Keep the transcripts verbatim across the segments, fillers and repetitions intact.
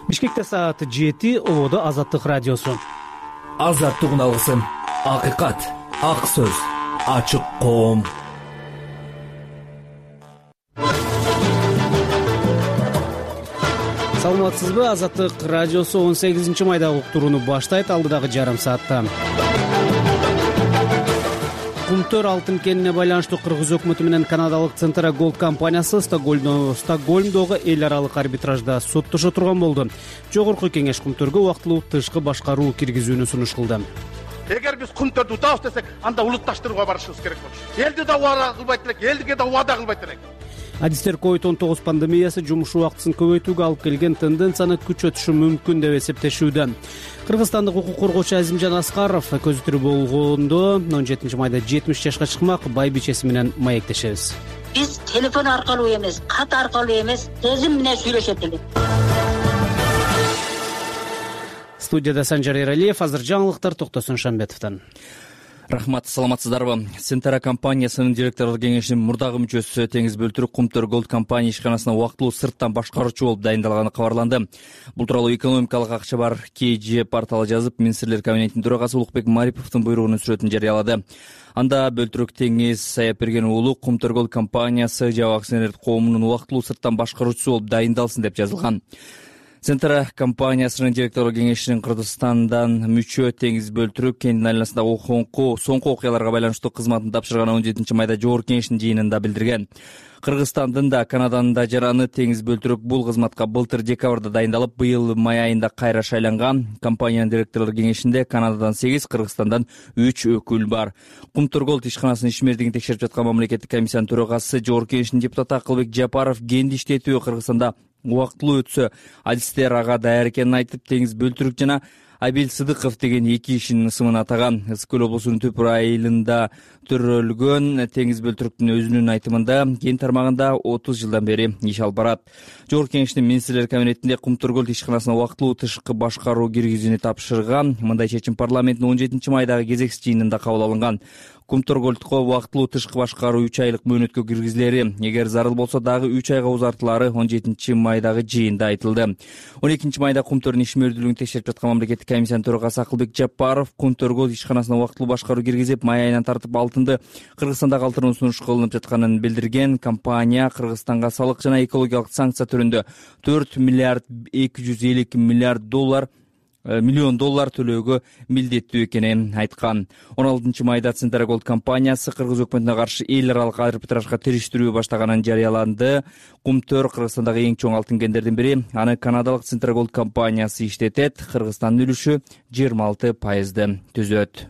Бишкекте саат жети, Ободо Азаттык радиосу. Азаттык үналгысын, акыйкат, ак сөз, ачык коом. Саламатсызбы? Азаттык радиосу он сегизинчи майдагы уктурууну баштайт. Алдыдагы жарым саатта Кумтөр алтын кенине байланыштуу Кыргыз өкмөтү менен канадалык Центра Голд компаниясы Стокгольмдогу эл аралык арбитражда соттошо турган болду. Жогорку кеңеш Кумтөргө убактылуу тышкы башкаруу киргизүүнү сунуш кылды. Эгер биз Кумтөрдү утабыз десек, анда улутташтырууга барышыбыз керек болчу. Элди да убада кылбайт элек, элдиге да убада кылбайт элек. Адистер ковид он тогуз пандемиясы жумуш убактысын көбөйтүүгө алып келген тенденцияны күчөтүшү мүмкүн деп эсептешүүдө. Кыргызстандык укук коргоочу Азимжан Аскаров көзү тирүү болгондо он жетинчи майда жетимиш жашка чыкмак, байбичеси менен маектешебиз. Биз телефон аркылуу эмес, кат аркылуу эмес, сезим менен сүйлөшөт элек. Студияда Санжар Эралиев, азыр жаңылыктар Токтосун Шамбетовдон. Рахмат, саламатсыздарбы? Центра компаниясынын директорлор кеңешинин мурдагы мүчөсү Теңиз Бөлтүрүк Кумтөр Голд компания ишканасына убактылуу сырттан башкаруучу болуп дайындалганы кабарланды. Бул тууралуу экономикалык акча бар кей же порталы жазып, Министрлер кабинетинин төрагасы Улукбек Мариповдун буйругунун сүрөтүн жарыялады. Анда Бөлтүрүк Теңиз Саяпберген уулу Кумтөр Голд компаниясы жабык акционер коомунун убактылуу сырттан башкаруучусу болуп дайындалсын деп жазылган. Центра компаниясынын директорлор кеңешинин Кыргызстандан мүчө Теңиз Бөлтүрүк кенинин айланасындагы соңку окуяларга байланыштуу кызматын тапшырганы он жетинчи майда жогорку кеңештин жыйынында билдирген. Кыргызстандын да, Канаданын да жараны Теңиз Бөлтүрүк бул кызматка былтыр декабрда дайындалып, быйыл май айында кайра шайланган. Компаниянын директорлор кеңешинде Канададан сегиз, Кыргызстандан үч өкүл бар. Кумтөр Голд ишканасынын ишмердигин текшерип жаткан мамлекеттик комиссиянын төрагасы, жогорку кеңештин депутаты Акылбек Жапаров кенди иштетүү Кыргызстанда убактылуу өтсө, адистер ага даяр экенин айтып, Теңиз Бөлтүрүк жана Абил Сыдыков деген эки кишинин ысымын атаган. Ысык көл облусунун Түпүр айылында төрөлгөн Теңиз Бөлтүрүктүн өзүнүн айтымында кен тармагында отуз жылдан бери иш алып барат. Жогорку кеңештин Министрлер кабинетинде Кумтөр Голд ишканасына убактылуу тышкы башкаруу киргизүүнү тапшырган. Мындай чечим парламенттин он жетинчи майдагы кезексиз жыйынында кабыл алынган. Кумтөр Голдко убактылуу тышкы башкаруу үч айлык мөөнөткө киргизилери, эгер зарыл болсо дагы үч айга узартылары он жетинчи майдагы жыйында айтылды. он экинчи майда Кумтөрдүн ишмердүүлүгүн текшерип жаткан мамлекеттик комиссиянын төрагасы Акылбек Жапаров Кумтөр Голд ишканасына убактылуу башкаруу киргизип, май айынан тартып алтынды Кыргызстанда калтырууну сунуш кылынып жатканын билдирген. Компания Кыргызстанга салык жана экологиялык санкция түрүндө төрт миллиард эки жүз элүү эки миллиард доллар миллион доллар төлөөгө милдеттүү экенин айткан. он алтынчы майда Центра Голд компаниясы Кыргыз өкмөтүнө каршы эл аралык арбитражга териштирүү баштаганын жарыяланды. Кумтөр Кыргызстандагы эң чоң алтын кендердин бири. Аны канадалык Центра Голд компаниясы иштетет. Кыргызстандын үлүшү жыйырма алты пайызды түзөт.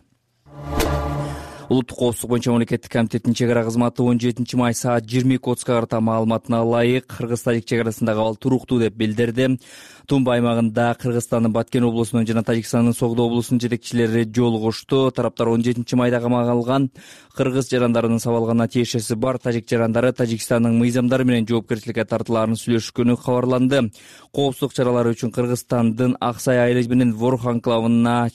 Улуттук коопсуздук боюнча мамлекеттик комитеттин чек ара кызматы он жетинчи май саат жыйырма эки отузга карата маалыматына ылайык Кыргыз-Тажик чек арасындагы абал туруктуу деп билдирди. Тумба аймагында Кыргызстандын Баткен облусунун жана Тажикстандын Согдо облусунун жетекчилери жолугушту. Тараптар он жетинчи майда камакка алган кыргыз жарандарынын сабалганына тиешеси бар тажик жарандары Тажикстандын мыйзамдары менен жоопкерчиликке тартылаарын сүйлөшкөнү кабарланды. Коопсуздук чаралары үчүн Кыргызстандын Аксай айылы менен Ворух анклавына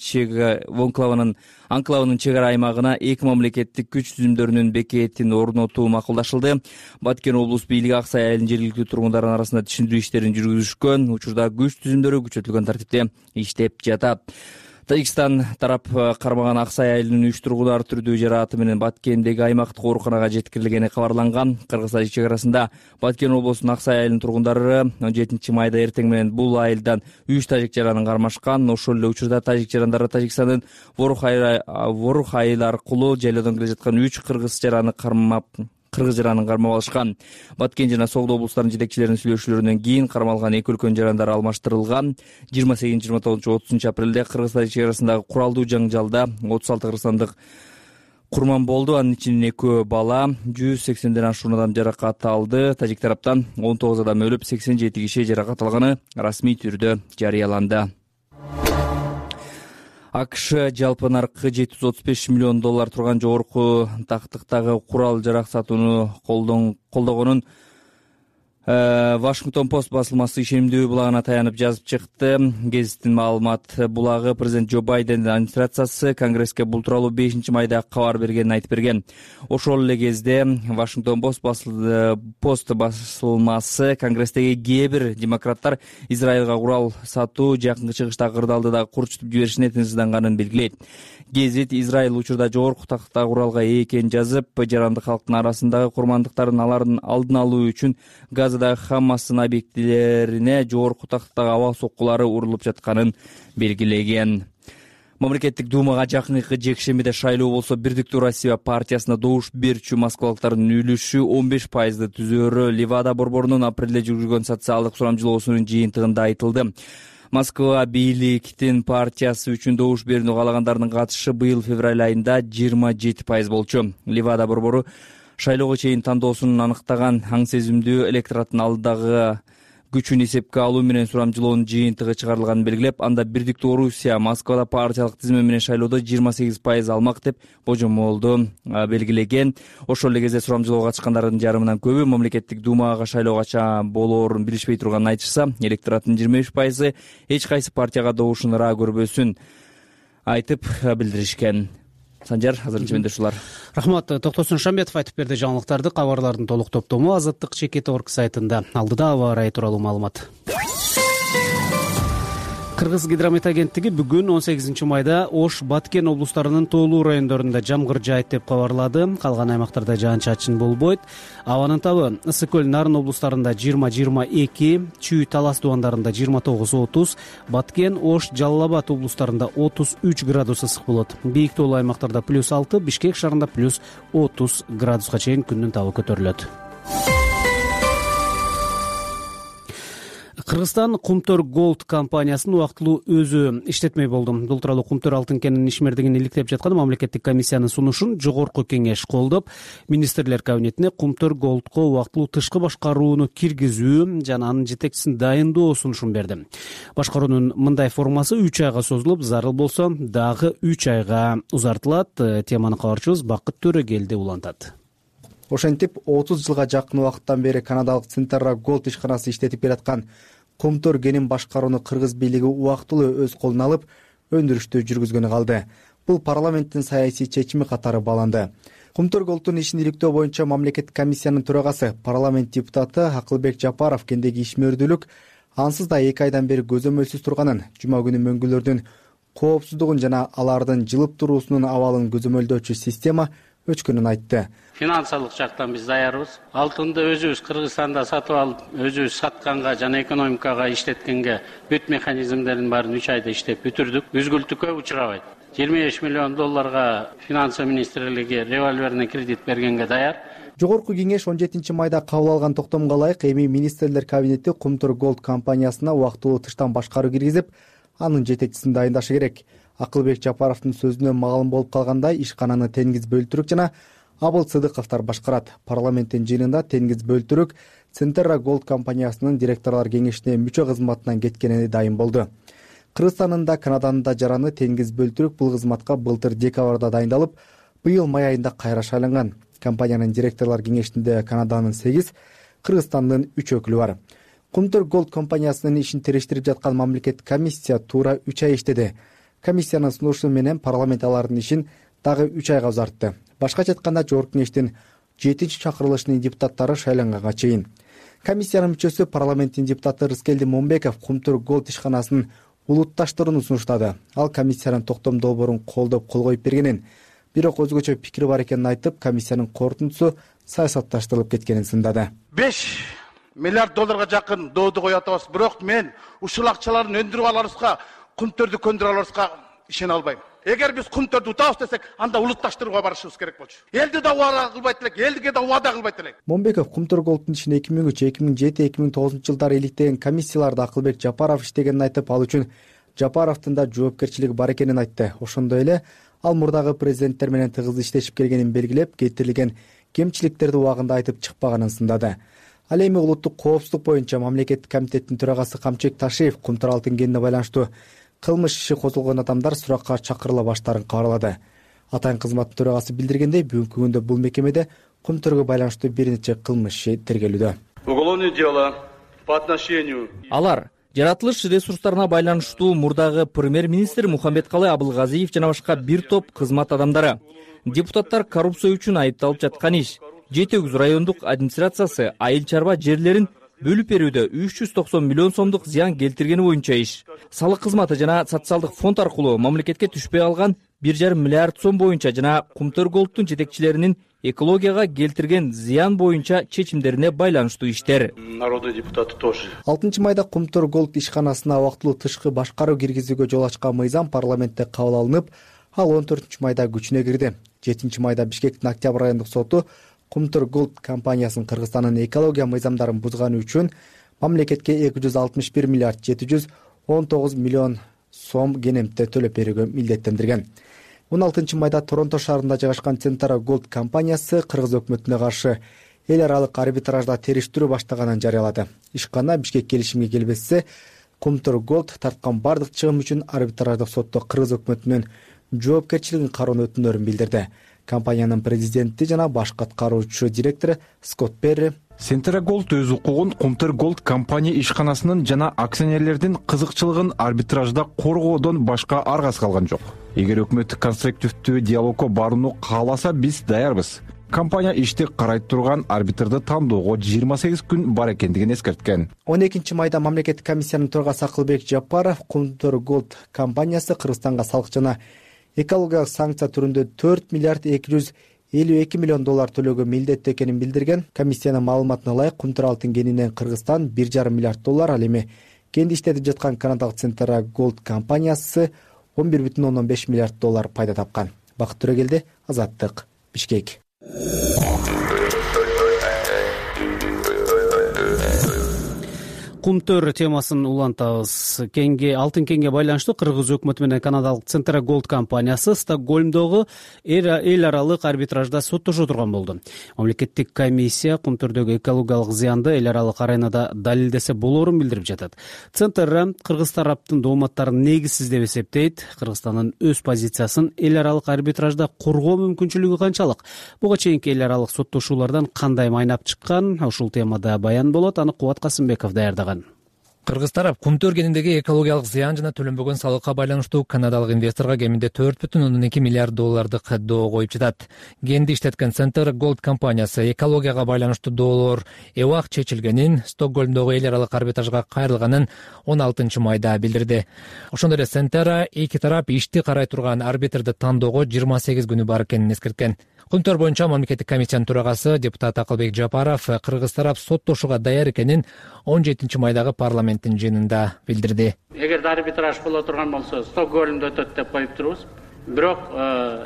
Вонклавынын анклавынын чек ара аймагына эки мамлекеттик күч түзүмдөрүнүн бекетин орнотуу макулдашылды. Баткен облус бийлиги Аксай айылынын жергиликтүү тургундарынын арасында түшүндүрүү иштерин жүргүзүшкөн. Учурда күч түзүмдөрү күчөтүлгөн тартипте иштеп жатат. Тажикстан тарап кармаган Аксай айылынын үч тургундар түрдүү жарааты менен Баткендеги аймактык ооруканага жеткирилгени кабарланган. Кыргыз-Тажик чек арасында Баткен облусунун Аксай айылынын тургундары он жетинчи майда эртең менен бул айылдан үч тажик жаранын кармашкан. Ошол эле учурда тажик жарандары Тажикстандын Ворух айылы аркылуу жайлоодон келе жаткан үч кыргыз жараны кармап кыргыз жаранын кармап алышкан. Баткен жана Согдо облустарынын жетекчилеринин сүйлөшүүлөрүнөн кийин кармалган эки өлкөнүн жарандары алмаштырылган. жыйырма сегизинчи жыйырма тогузунчу отузунчу апрелде Кыргыз-Тажик чек арасындагы куралдуу жаңжалда отуз алты кыргызстандык курман болду. Анын ичинен экөө бала, жүз сексенден ашуун адам жаракат алды. Тажик тараптан он тогуз адам өлүп, сексен жети киши жаракат алганы расмий түрдө жарыяланды. АКШ жалпы наркы жети жүз отуз беш миллион доллар турган жогорку тактыктагы курал жарак сатууну колдогонун Вашингтон Пост басылмасы ишенимдүү булагына таянып жазып чыкты. Гезиттин маалымат булагы президент Джо Байдендин администрациясы Конгресске бул тууралуу бешинчи майда кабар бергенин айтып берген. Ошол эле кезде Вашингтон Пост басылмасы Конгресстеги кээ бир демократтар Израилга курал сатуу жакынкы чыгыштагы кырдаалды дагы курчутуп жиберишине тынчсызданганын белгилейт. Гезит Израиль учурда жогорку тактагы куралга ээ экенин жазып, жаранды калктын арасындагы курмандыктарын алардын алдын алуу үчүн Газадагы Хаммастын объектилерине жогорку тактагы аба соккулары урулуп жатканын белгилеген. Мамлекеттик думага жакынкы жекшембиде шайлоо болсо, Бирдиктүү Россия партиясына добуш берүүчү москвалыктардын үлүшү он беш пайызды түзөөрү Левада борборунун апрелде жүргүзгөн социалдык сурамжылоосунун жыйынтыгында айтылды. Москва бийликтин партиясы үчүн добуш берүүнү каалагандардын катышы быйыл февраль айында жыйырма жети пайыз болчу. Левада борбору шайлоого чейин тандоосун аныктаган аң сезимдүү электораттын алдыдагы күчүн эсепке алуу менен сурамжылоонун жыйынтыгы чыгарылганын белгилеп, анда Бирдиктүү Орусия Москвада партиялык тизме менен шайлоодо жыйырма сегиз пайыз алмак деп божомолду белгилеген. Ошол эле кезде сурамжылоого катышкандардын жарымынан көбү мамлекеттик думага шайлоо кача болоорун билишпей турганын айтышса, электораттын жыйырма беш пайызы эч кайсы партияга добушун ыраа көрбөсүн айтып билдиришкен. Санжар, азырынча менде ушулар. Рахмат. Токтосун Шамбетов айтып берди жаңылыктарды. Кабарлардын толук топтому Азаттык чекит точка орг сайтында. Алдыда аба ырайы тууралуу маалымат. Кыргыз гидромет агенттиги бүгүн он сегизинчи майда Ош, Баткен облустарынын тоолуу райондорунда жамгыр жаайт деп кабарлады. Калган аймактарда жаан-чачын болбойт. Абанын табы Ысык көл, Нарын облустарында жыйырма жыйырма эки, Чүй, Талас дубандарында жыйырма тогуз отуз, Баткен, Ош, Жалал Абад облустарында отуз үч градус ысык болот. Бийик тоолуу аймактарда плюс алты, Бишкек шаарында плюс отуз градуска чейин күндүн табы көтөрүлөт. Кыргызстан Кумтөр Голд компаниясынын убактылуу өзү иштетмей болду. Бул тууралуу Кумтөр алтын кенинин ишмердигин иликтеп жаткан мамлекеттик комиссиянын сунушун жогорку кеңеш колдоп, министрлер кабинетине Кумтөр Голдко убактылуу тышкы башкарууну киргизүү жана анын жетекчисин дайындоо сунушун берди. Башкаруунун мындай формасы үч айга созулуп, зарыл болсо дагы үч айга узартылат. Теманы кабарчыбыз Бакыт Төрөгелди улантат. Ошентип отуз жылга жакын убакыттан бери канадалык Центерра Голд ишканасы иштетип келаткан Кумтөр кенин башкарууну кыргыз бийлиги убактылуу өз колуна алып, өндүрүштү жүргүзгөнү калды. Бул парламенттин саясий чечими катары бааланды. Кумтөр Голдтун ишин иликтөө боюнча мамлекеттик комиссиянын төрагасы, парламент депутаты Акылбек Жапаров кендеги ишмердүүлүк ансыз да эки айдан бери көзөмөлсүз турганын, жума күнү мөңгүлөрдүн коопсуздугун жана алардын жылып туруусунун абалын көзөмөлдөөчү система өчкөнүн айтты. Финансылык жактан биз даярбыз. Алтынды өзүбүз Кыргызстанда сатып алып, өзүбүз сатканга жана экономикага иштеткенге бүт механизмдерин баарын үч айда иштеп бүтүрдүк. Үзгүлтүккө учурабайт. жыйырма беш миллион долларга финансы министрлиги револьверный кредит бергенге даяр. Жогорку кеңеш он жетинчи майда кабыл алган токтомго ылайык эми министрлер кабинети Кумтөр Голд компаниясына убактылуу тыштан башкаруу киргизип, анын жетекчисин дайындашы керек. Акылбек Жапаровдун сөзүнөн маалым болуп калгандай, ишкананы Тенгиз Бөлтүрүк жана Абыл Сыдыковдор башкарат. Парламенттин жыйынында Тенгиз Бөлтүрүк Центерра Голд компаниясынын директорлор кеңешине мүчө кызматынан кеткенине дайын болду. Кыргызстандын да, Канаданын да жараны Тенгиз Бөлтүрүк бул кызматка былтыр декабрда дайындалып, быйыл май айында кайра шайланган. Компаниянын директорлор кеңешинде Канаданын сегиз, Кыргызстандын үч өкүлү бар. Кумтөр Голд компаниясынын ишин териштирип жаткан мамлекеттик комиссия туура үч ай иштеди. Комиссиянын сунушу менен парламент алардын ишин дагы үч айга узартты. Башкача айтканда, жогорку кеңештин жетинчи чакырылышынын депутаттары шайланганга чейин. Комиссиянын мүчөсү, парламенттин депутаты Рыскелди Момбеков Кумтөр Голд ишканасынын улутташтырууну сунуштады. Ал комиссиянын токтом долбоорун колдоп кол коюп бергенин, бирок өзгөчө пикири бар экенин айтып, комиссиянын корутундусу саясатташтырылып кеткенин сындады. беш миллиард долларга жакын доодо коюп атабыз. Бирок мен ушул акчаларды өндүрүп аларыбызга, Кумтөрдү көндүрүп аларыбызга ишене албайм. Эгер биз Кумтөрдү утабыз десек, анда улутташтырууга барышыбыз керек болчу. Элди да убада кылбайт элек, элге да убада кылбайт элек. Момбеков Кумтөр Голдтун ишин эки миң үч, эки миң жети, эки миң тогузунчу жылдары иликтеген комиссияларда Акылбек Жапаров иштегенин айтып, ал үчүн Жапаровдун да жоопкерчилиги бар экенин айтты. Ошондой эле ал мурдагы президенттер менен тыгыз иштешип келгенин белгилеп, кетирилген кемчиликтерди убагында айтып чыкпаганын сындады. Ал эми улуттук коопсуздук боюнча мамлекеттик комитеттин төрагасы Камчек Ташиев Кумтөр алтын кенине байланыштуу кылмыш иши козголгон адамдар суракка чакырыла баштаарын кабарлады. Атайын кызматтын төрагасы билдиргендей, бүгүнкү күндө бул мекемеде Кумтөргө байланыштуу бир нече кылмыш иши тергелүүдө. Уголовные дела по отношению алар жаратылыш ресурстарына байланыштуу мурдагы премьер-министр Мухаммедкалый Абылгазиев жана башка бир топ кызмат адамдары, депутаттар коррупция үчүн айыпталып жаткан иш, Жети Өгүз райондук администрациясы айыл чарба жерлерин бөлүп берүүдө үч жүз токсон миллион сомдук зыян келтиргени боюнча иш, салык кызматы жана социалдык фонд аркылуу мамлекетке түшпөй алган бир жарым миллиард сом боюнча жана Кумтөр Голдтун жетекчилеринин экологияга келтирген зыян боюнча чечимдерине байланыштуу иштер. Народные депутаты тоже. алтынчы майда Кумтөр Голд ишканасына убактылуу тышкы башкаруу киргизүүгө жол ачкан мыйзам парламентте кабыл алынып, ал он төртүнчү майда күчүнө кирди. жетинчи майда Бишкектин Октябрь райондук соту Кумтөр Голд компаниясынын Кыргызстандын экология мыйзамдарын бузганы үчүн мамлекетке эки жүз алтымыш бир миллиард жети жүз он тогуз миллион сом кенемте төлөп берүүгө милдеттендирген. он алтынчы майда Торонто шаарында жайгашкан Centara Gold компаниясы Кыргыз өкмөтүнө каршы эл аралык арбитражда териштирүү баштаганын жарыялады. Ишкана Бишкек келишимге келбесе, Кумтөр Голд тарткан бардык чыгым үчүн арбитраждык сотто Кыргыз өкмөтүнөн жоопкерчилигин кароону өтүнөрүн билдирди. Компаниянын президенти жана баш аткаруучу директору Скотт Перри Centara Gold өз укугун Кумтөр Голд компания ишканасынын жана акционерлердин кызыкчылыгын арбитражда коргоодон башка аргасы калган жок. Эгер өкмөт конструктивдүү диалогко барууну кааласа, биз даярбыз. Компания ишти карай турган арбитрды тандоого жыйырма сегиз күн бар экендигин эскерткен. он экинчи майда мамлекеттик комиссиянын төрагасы Акылбек Жапаров Кумтөр Голд компаниясы Кыргызстанга салык жана экологиялык санкция түрүндө төрт миллиард эки жүз элүү эки миллион доллар төлөөгө милдеттүү экенин билдирген. Комиссиянын маалыматына ылайык Кумтөр алтын кенинен Кыргызстан бир жарым миллиард доллар, ал эми кенди иштетип жаткан канадалык Centara Gold компаниясы он бир бүтүн ондон беш миллиард доллар пайда тапкан. Бакыт Төрөгелди, Азаттык, Бишкек. Кумтөр темасын улантабыз. Кенге алтын кенге байланыштуу Кыргыз өкмөтү менен канадалык Centara Gold компаниясы Стокгольмдогу эл аралык арбитражда соттошо турган болду. Мамлекеттик комиссия Кумтөрдөгү экологиялык зыянды эл аралык аренада далилдесе болоорун билдирип жатат. Centara кыргыз тараптын дооматтарын негизсиз деп эсептейт. Кыргызстандын өз позициясын эл аралык арбитражда коргоо мүмкүнчүлүгү канчалык? Буга чейинки эл аралык соттошуулардан кандай майнап чыккан? Ушул темада баян болот. Аны Кубат Касымбеков даярдаган. Кыргыз тарап Кумтөр кениндеги экологиялык зыян жана төлөнбөгөн салыкка байланыштуу канадалык инвесторго кеминде төрт бүтүн ондон эки миллиард доллардык доо коюп жатат. Кенди иштеткен Centara Gold компаниясы экологияга байланыштуу доолор эбак чечилгенин, Стокгольмдогу эл аралык арбитражга кайрылганын он алтынчы майда билдирди. Ошондой эле Centara эки тарап ишти карай турган арбитрди тандоого жыйырма сегиз күнү бар экенин эскерткен. Кумтөр боюнча мамлекеттик комиссиянын төрагасы депутат Акылбек Жапаров Кыргыз тарап соттошууга даяр экенин он жетинчи майдагы парламенттин жыйынында билдирди. Эгерде арбитраж боло турган болсо, Стокгольмдо өтөт деп коюп турубуз. Бирок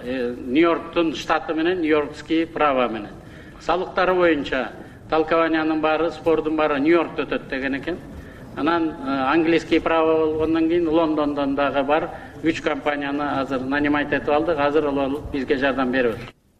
Нью-Йорктун штаты менен Нью-Йоркский право менен салыктары боюнча толкованиянын баары, спордун баары Нью-Йоркто өтөт деген экен. Анан английский право болгондон кийин Лондондон дагы бар үч компанияны азыр нанимать этип алдык. Азыр алып бизге жардам берет.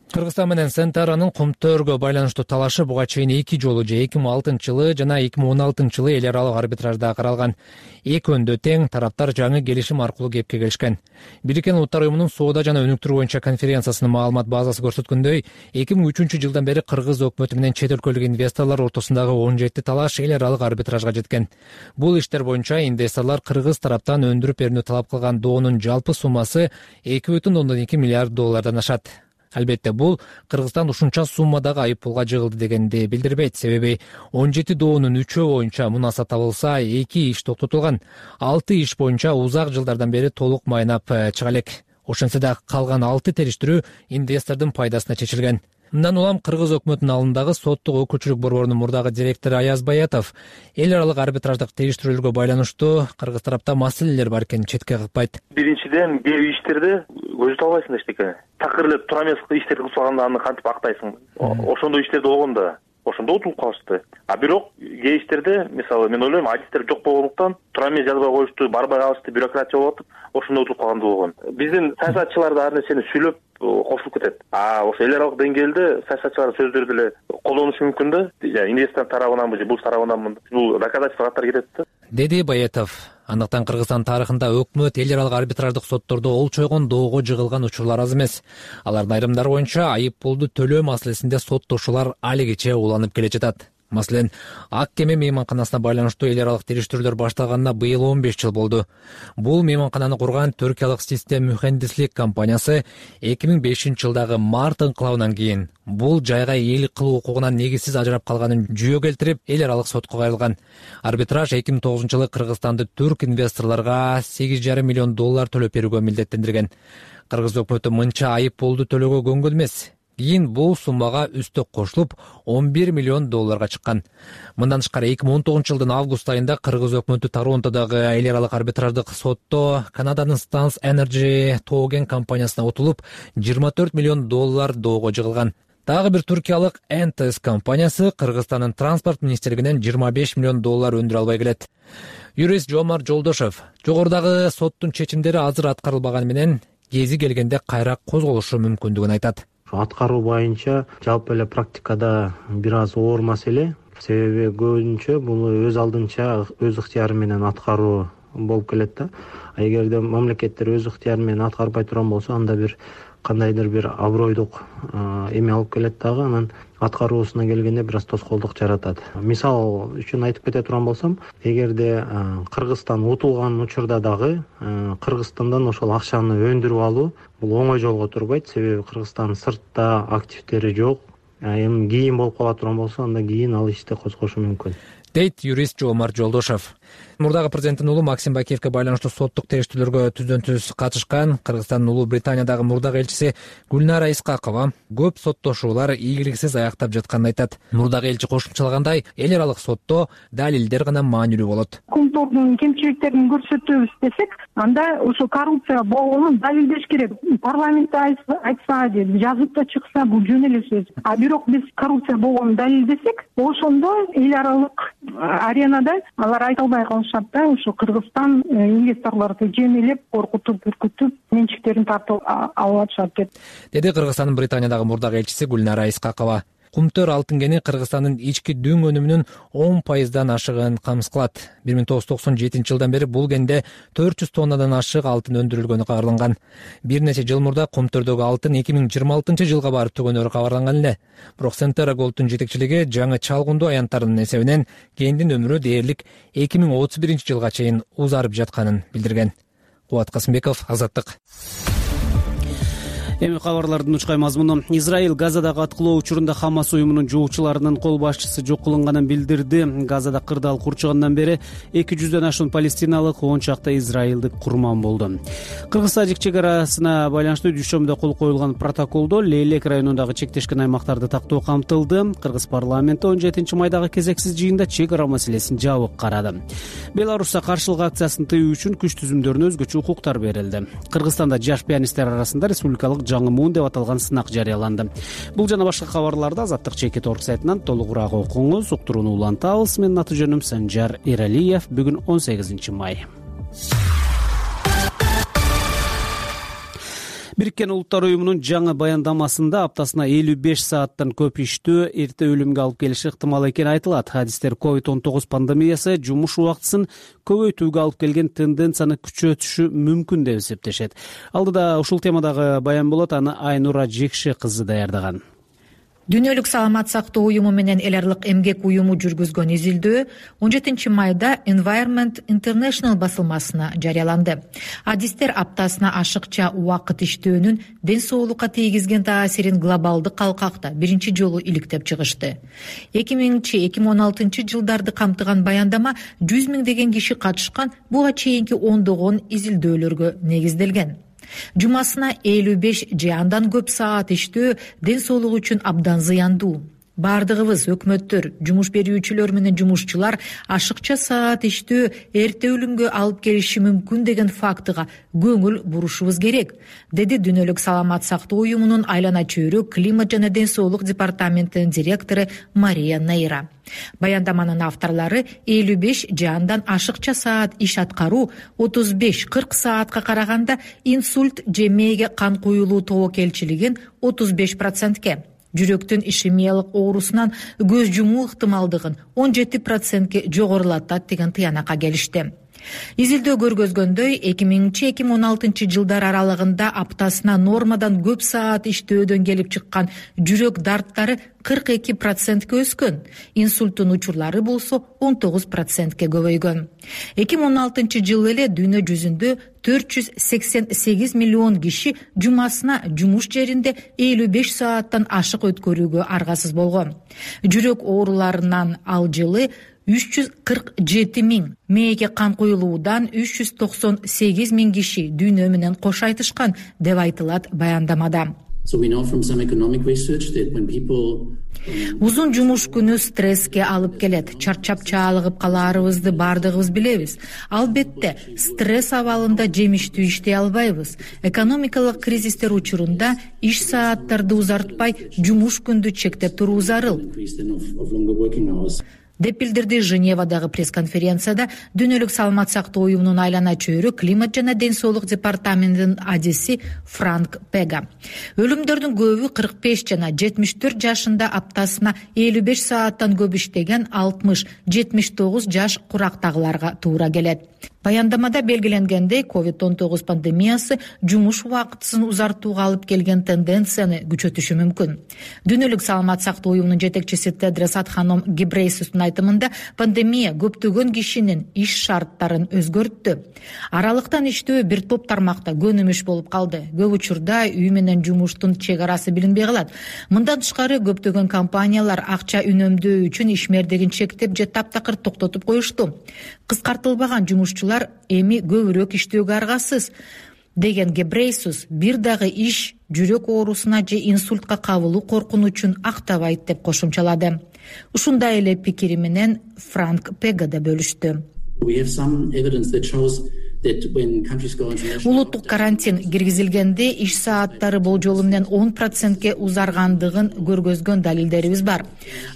Кыргызстан менен Centara'нын Кумтөргө байланыштуу талашы буга чейин эки жолу же эки миң алтынчы жылы жана эки миң он алтынчы жылы эл аралык арбитражда каралган. Экөөндө тең тараптар жаңы келишим аркылуу кепке келишкен. Бириккен Улуттар уюмунун соода жана өнүктүрүү боюнча конференциясынын маалымат базасы көрсөткөндөй, эки миң үчүнчү жылдан бери Кыргыз өкмөтү менен чет өлкөлүк инвесторлор ортосундагы он жети талаш эл аралык арбитражга жеткен. Бул иштер боюнча инвесторлор Кыргыз тараптан өндүрүп берүүнү талап кылган доонун жалпы суммасы эки бүтүн ондон эки миллиард доллардан ашат. Албетте бул Кыргызстан ушунча суммадагы айыппулга жыгылды дегенди билдирбейт. Себеби он жети доонун үчөө боюнча мунаса табылса, эки иш токтотулган. алты иш боюнча узак жылдардан бери толук майнап чыга элек. Ошентсе да калган алты териштирүү инвестордун пайдасына чечилген. Мындан улам Кыргыз өкмөтүнүн алдындагы соттук өкүлчүлүк борборунун мурдагы директору Аяз Баятов эл аралык арбитраждык териштирүүлөргө байланыштуу Кыргыз тарапта маселелер бар экенин четке кыкпайт. Биринчиден, кээ бир иштерде көзү албайсың эчтеке. Такыр эле тура эмес иштерди кылып салганда аны кантип актайсың? Ошондой иштерде болгон да. Ошондо утулуп калышты. А бирок кээ иштерде, мисалы, мен ойлойм, адистер жок болгондуктан тура эмес жазбай коюшту, барбай калышты, бюрократия болуп атып, ошондо утулуп калган болгон. Биздин саясатчылар да ар нерсени сүйлөп кошулуп кетет. А ошо эл аралык деңгээлде саясатчылардын сөздөрү деле колдонуш мүмкүн да. Инвестор тарабынанбы же бул тарабынанбы? Бул доказательство катары кетет да. Деди Баятов. Андыктан Кыргызстан тарыхында өкмөт эл аралык арбитраждык соттордо ол чойгон доого жыгылган учурлар аз эмес. Алардын айрымдары боюнча айып пулду төлөө маселесинде соттошуулар алигиче уланып келе жатат. Маселен, ак кеме мейманканасына байланыштуу эл аралык териштирүүлөр башталганына быйыл он беш жыл болду. Бул мейманкананы курган түркиялык систем мухендислик компаниясы эки миң бешинчи жылдагы март инкылабынан кийин бул жайга ээлик кылуу укугунан негизсиз ажырап калганын жүйө келтирип, эл аралык сотко кайрылган. Арбитраж эки миң тогузунчу жылы Кыргызстанды түрк инвесторлорго сегиз жарым миллион доллар төлөп берүүгө милдеттендирген. Кыргыз өкмөтү мынча айып пулду төлөөгө көнгөн эмес. Кийин бул суммага үстөк кошулуп он бир миллион долларга чыккан. Мындан тышкары эки миң он тогузунчу жылдын август айында Кыргыз өкмөтү Торонтодогу эл аралык арбитраждык сотто Канаданын Stans Energy Togen компаниясына утулуп, жыйырма төрт миллион доллар доого жыгылган. Дагы бир туркиялык эн тэ эс компаниясы Кыргызстандын транспорт министрлигинен жыйырма беш миллион доллар өндүрө албай келет. Юрист Жомарт Жолдошев жогорудагы соттун чечимдери азыр аткарылбаганы менен кези келгенде кайра козголушу мүмкүндүгүн айтат. Аткаруу боюнча жалпы эле практикада бир аз оор маселе. Себеби көбүнчө бул өз алдынча өз ыктыяры менен аткаруу болуп келет да. Эгерде мамлекеттер өз ыктыяры менен аткарбай турган болсо, анда бир кандайдыр бир абройдук эме алып келет дагы, анан аткаруусуна келгенде бир аз тоскоолдук жаратат. Мисал үчүн айтып кете турган болсом, эгерде Кыргызстан утулган учурда дагы Кыргызстандан ошол акчаны өндүрүп алуу бул оңой жолго турбайт. Себеби Кыргызстан сыртта активдери жок. Эми кийин болуп кала турган болсо, анда кийин ал ишти козгошу мүмкүн, дейт юрист Жомарт Жолдошев. Мурдагы президенттин уулу Максим Бакиевке байланыштуу соттук териштирүүлөргө түздөн түз катышкан Кыргызстандын Улуу Британиядагы мурдагы элчиси Гүлнара Исхакова көп соттошуулар ийгиликсиз аяктап жатканын айтат. Мурдагы элчи кошумчалагандай, эл аралык сотто далилдер гана маанилүү болот. Кумдордун кемчиликтерин көрсөтөбүз десек, анда ошо коррупция болгонун далилдеш керек. Парламентте айтса, жазып да чыкса, бул жөн эле сөз. А бирок биз коррупция болгонун далилдесек, ошондо эл аралык аренада алар айта албай калышат да. Ошо Кыргызстан инвесторлорду жемелеп, коркутуп, үркүтүп, менчиктерин тартып алып атышат деп. Деди Кыргызстандын Британиядагы мурдагы элчиси Гүлнара Исхакова. Кумтөр алтын кени Кыргызстандын ички дүң өнүмүнүн он пайыздан ашыгын камсыз кылат. бир миң тогуз жүз токсон жетинчи жылдан бери бул кенде төрт жүз тоннадан ашык алтын өндүрүлгөнү кабарланган. Бир нече жыл мурда Кумтөрдөгү алтын эки миң жыйырма алтынчы жылга барып түгөнөрү кабарланган эле. Бирок Centera Gold'ун жетекчилиги жаңы чалгындуу аянттарынын эсебинен кендин өмүрү дээрлик эки миң отуз биринчи жылга чейин узарып жатканын билдирген. Кубат Касымбеков, Азаттык. Эми кабарлардын учкай мазмуну. Израиль Газадагы аткылоо учурунда Хамас уюмунун жоочуларынын кол башчысы жок кылынганын билдирди. Газада кырдаал курчугандан бери эки жүздөн ашуун палестиналык, он чакта израилдик курман болду. Кыргыз-тажик чек арасына байланыштуу дүйшөмбүдө кол коюлган протоколдо Лейлек районундагы чектешкен аймактарды тактоо камтылды. Кыргыз парламенти он жетинчи майдагы кезексиз жыйында чек ара маселесин жабык карады. Беларусьта каршылык акциясын тыюу үчүн күч түзүмдөрүнө өзгөчө укуктар берилди. Кыргызстанда жаш пианисттер арасында республикалык жаңы муун деп аталган сынак жарыяланды. Бул жана башка кабарларды Азаттык чекит орг сайтынан толугураак окуңуз. Уктурууну улантабыз. Менин аты жөнүм Санжар Эралиев. Бүгүн он сегизинчи май. Бириккен Улуттар уюмунун жаңы баяндамасында аптасына элүү беш сааттан көп иштөө эрте өлүмгө алып келиши ыктымал экени айтылат. Хадистер ковид он тогуз пандемиясы жумуш убактысын көбөйтүүгө алып келген тенденцияны күчөтүшү мүмкүн деп эсептешет. Алдыда ушул темадагы баян болот, аны Айнура Жекши кызы даярдаган. Дүйнөлүк саламат сактоо уюму менен эл аралык эмгек уюму жүргүзгөн изилдөө он жетинчи майда Environment International басылмасына жарыяланды. Адистер аптасына ашыкча убакыт иштөөнүн ден соолукка тийгизген таасирин глобалдык калкакта биринчи жолу иликтеп чыгышты. эки миңинчи эки миң он алтынчы жылдарды камтыган баяндама жүз миңдеген киши катышкан буга чейинки ондогон изилдөөлөргө негизделген. Жумасына элүү беш же андан көп саат иштөө ден соолук үчүн абдан зыяндуу. Бардыгыбыз, өкмөттөр, жумуш берүүчүлөр менен жумушчулар ашыкча саат иштөө эрте өлүмгө алып келиши мүмкүн деген фактыга көңүл бурушубуз керек, деди Дүйнөлүк саламат сактоо уюмунун айлана чөйрө климат жана ден соолук департаментинин директору Мария Нейра. Баяндаманын авторлары элүү беш же андан ашыкча саат иш аткаруу отуз беш кырк саатка караганда инсульт же мээге кан куюлуу тобокелчилигин отуз беш процентке, жүрөктүн ишемиялык оорусунан көз жумуу ыктымалдыгын он жети процентке жогорулатат деген тыянакка келишти. Изилдөө көргөзгөндөй эки миңинчи эки миң он алтынчы жылдар аралыгында аптасына нормадан көп саат иштөөдөн келип чыккан жүрөк дарттары кырк эки процентке өскөн, инсульттун учурлары болсо он тогуз процентке көбөйгөн. эки миң он алтынчы жылы эле дүйнө жүзүндө төрт жүз сексен сегиз миллион киши жумасына жумуш жеринде элүү беш сааттан ашык өткөрүүгө аргасыз болгон. Жүрөк ооруларынан ал жылы үч жүз кырк жети миң, мээге кан куюлуудан үч жүз токсон сегиз миң киши дүйнө менен кош айтышкан деп айтылат баяндамада. Узун жумуш күнү стресске алып келет. Чарчап чаалыгып калаарыбызды бардыгыбыз билебиз. Албетте, стресс абалында жемиштүү иштей албайбыз. Экономикалык кризистер учурунда иш сааттарды узартпай, жумуш күндү чектеп туруу зарыл деп билдирди Женевадагы пресс-конференцияда Дүйнөлүк саламат сактоо уюмунун айлана чөйрө климат жана ден соолук департаментинин адиси Франк Пега. Өлүмдөрдүн көбү кырк беш жана жетимиш төрт жашында аптасына элүү беш сааттан көп иштеген алтымыш жетимиш тогуз жаш курактагыларга туура келет. Баяндамада белгиленгендей, ковид он тогуз пандемиясы жумуш убактысын узартууга алып келген тенденцияны күчөтүшү мүмкүн. Дүйнөлүк саламат сактоо уюмунун жетекчиси Тедрос Адханом Гебрейсустун айтымында, пандемия көптөгөн кишинин иш шарттарын өзгөрттү. Аралыктан иштөө бир топ тармакта көнүмүш болуп калды. Көп учурда үй менен жумуштун чек арасы билинбей калат. Мындан тышкары көптөгөн компаниялар акча үнөмдөө үчүн ишмердигин чектеп же таптакыр токтотуп коюшту. Кыскартылбаган жумушчулар эми көбүрөөк иштөөгө аргасыз деген Гебрейсус бир дагы иш жүрөк оорусуна же инсультка кабылуу коркунучун актабайт деп кошумчалады. Ушундай эле пикири менен Франк Пега да бөлүштү. Улуттук карантин киргизилгенде иш сааттары болжолу менен он процентке узаргандыгын көргөзгөн далилдерибиз бар.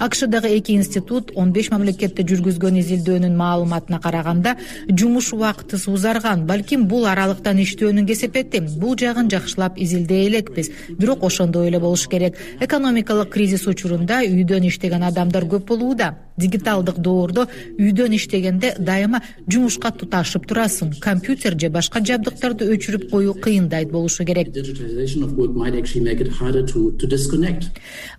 АКШдагы эки институт он беш мамлекетте жүргүзгөн изилдөөнүн маалыматына караганда жумуш убактысы узарган, балким бул аралыктан иштөөнүн кесепети. Бул жагын жакшылап изилдей элекпиз, бирок ошондой эле болуш керек. Экономикалык кризис учурунда үйдөн иштеген адамдар көп болууда. Дигиталдык доордо үйдөн иштегенде дайыма жумушка туташып турасың. Компьютер же башка жабдыктарды өчүрүп коюу кыйындайт болушу керек.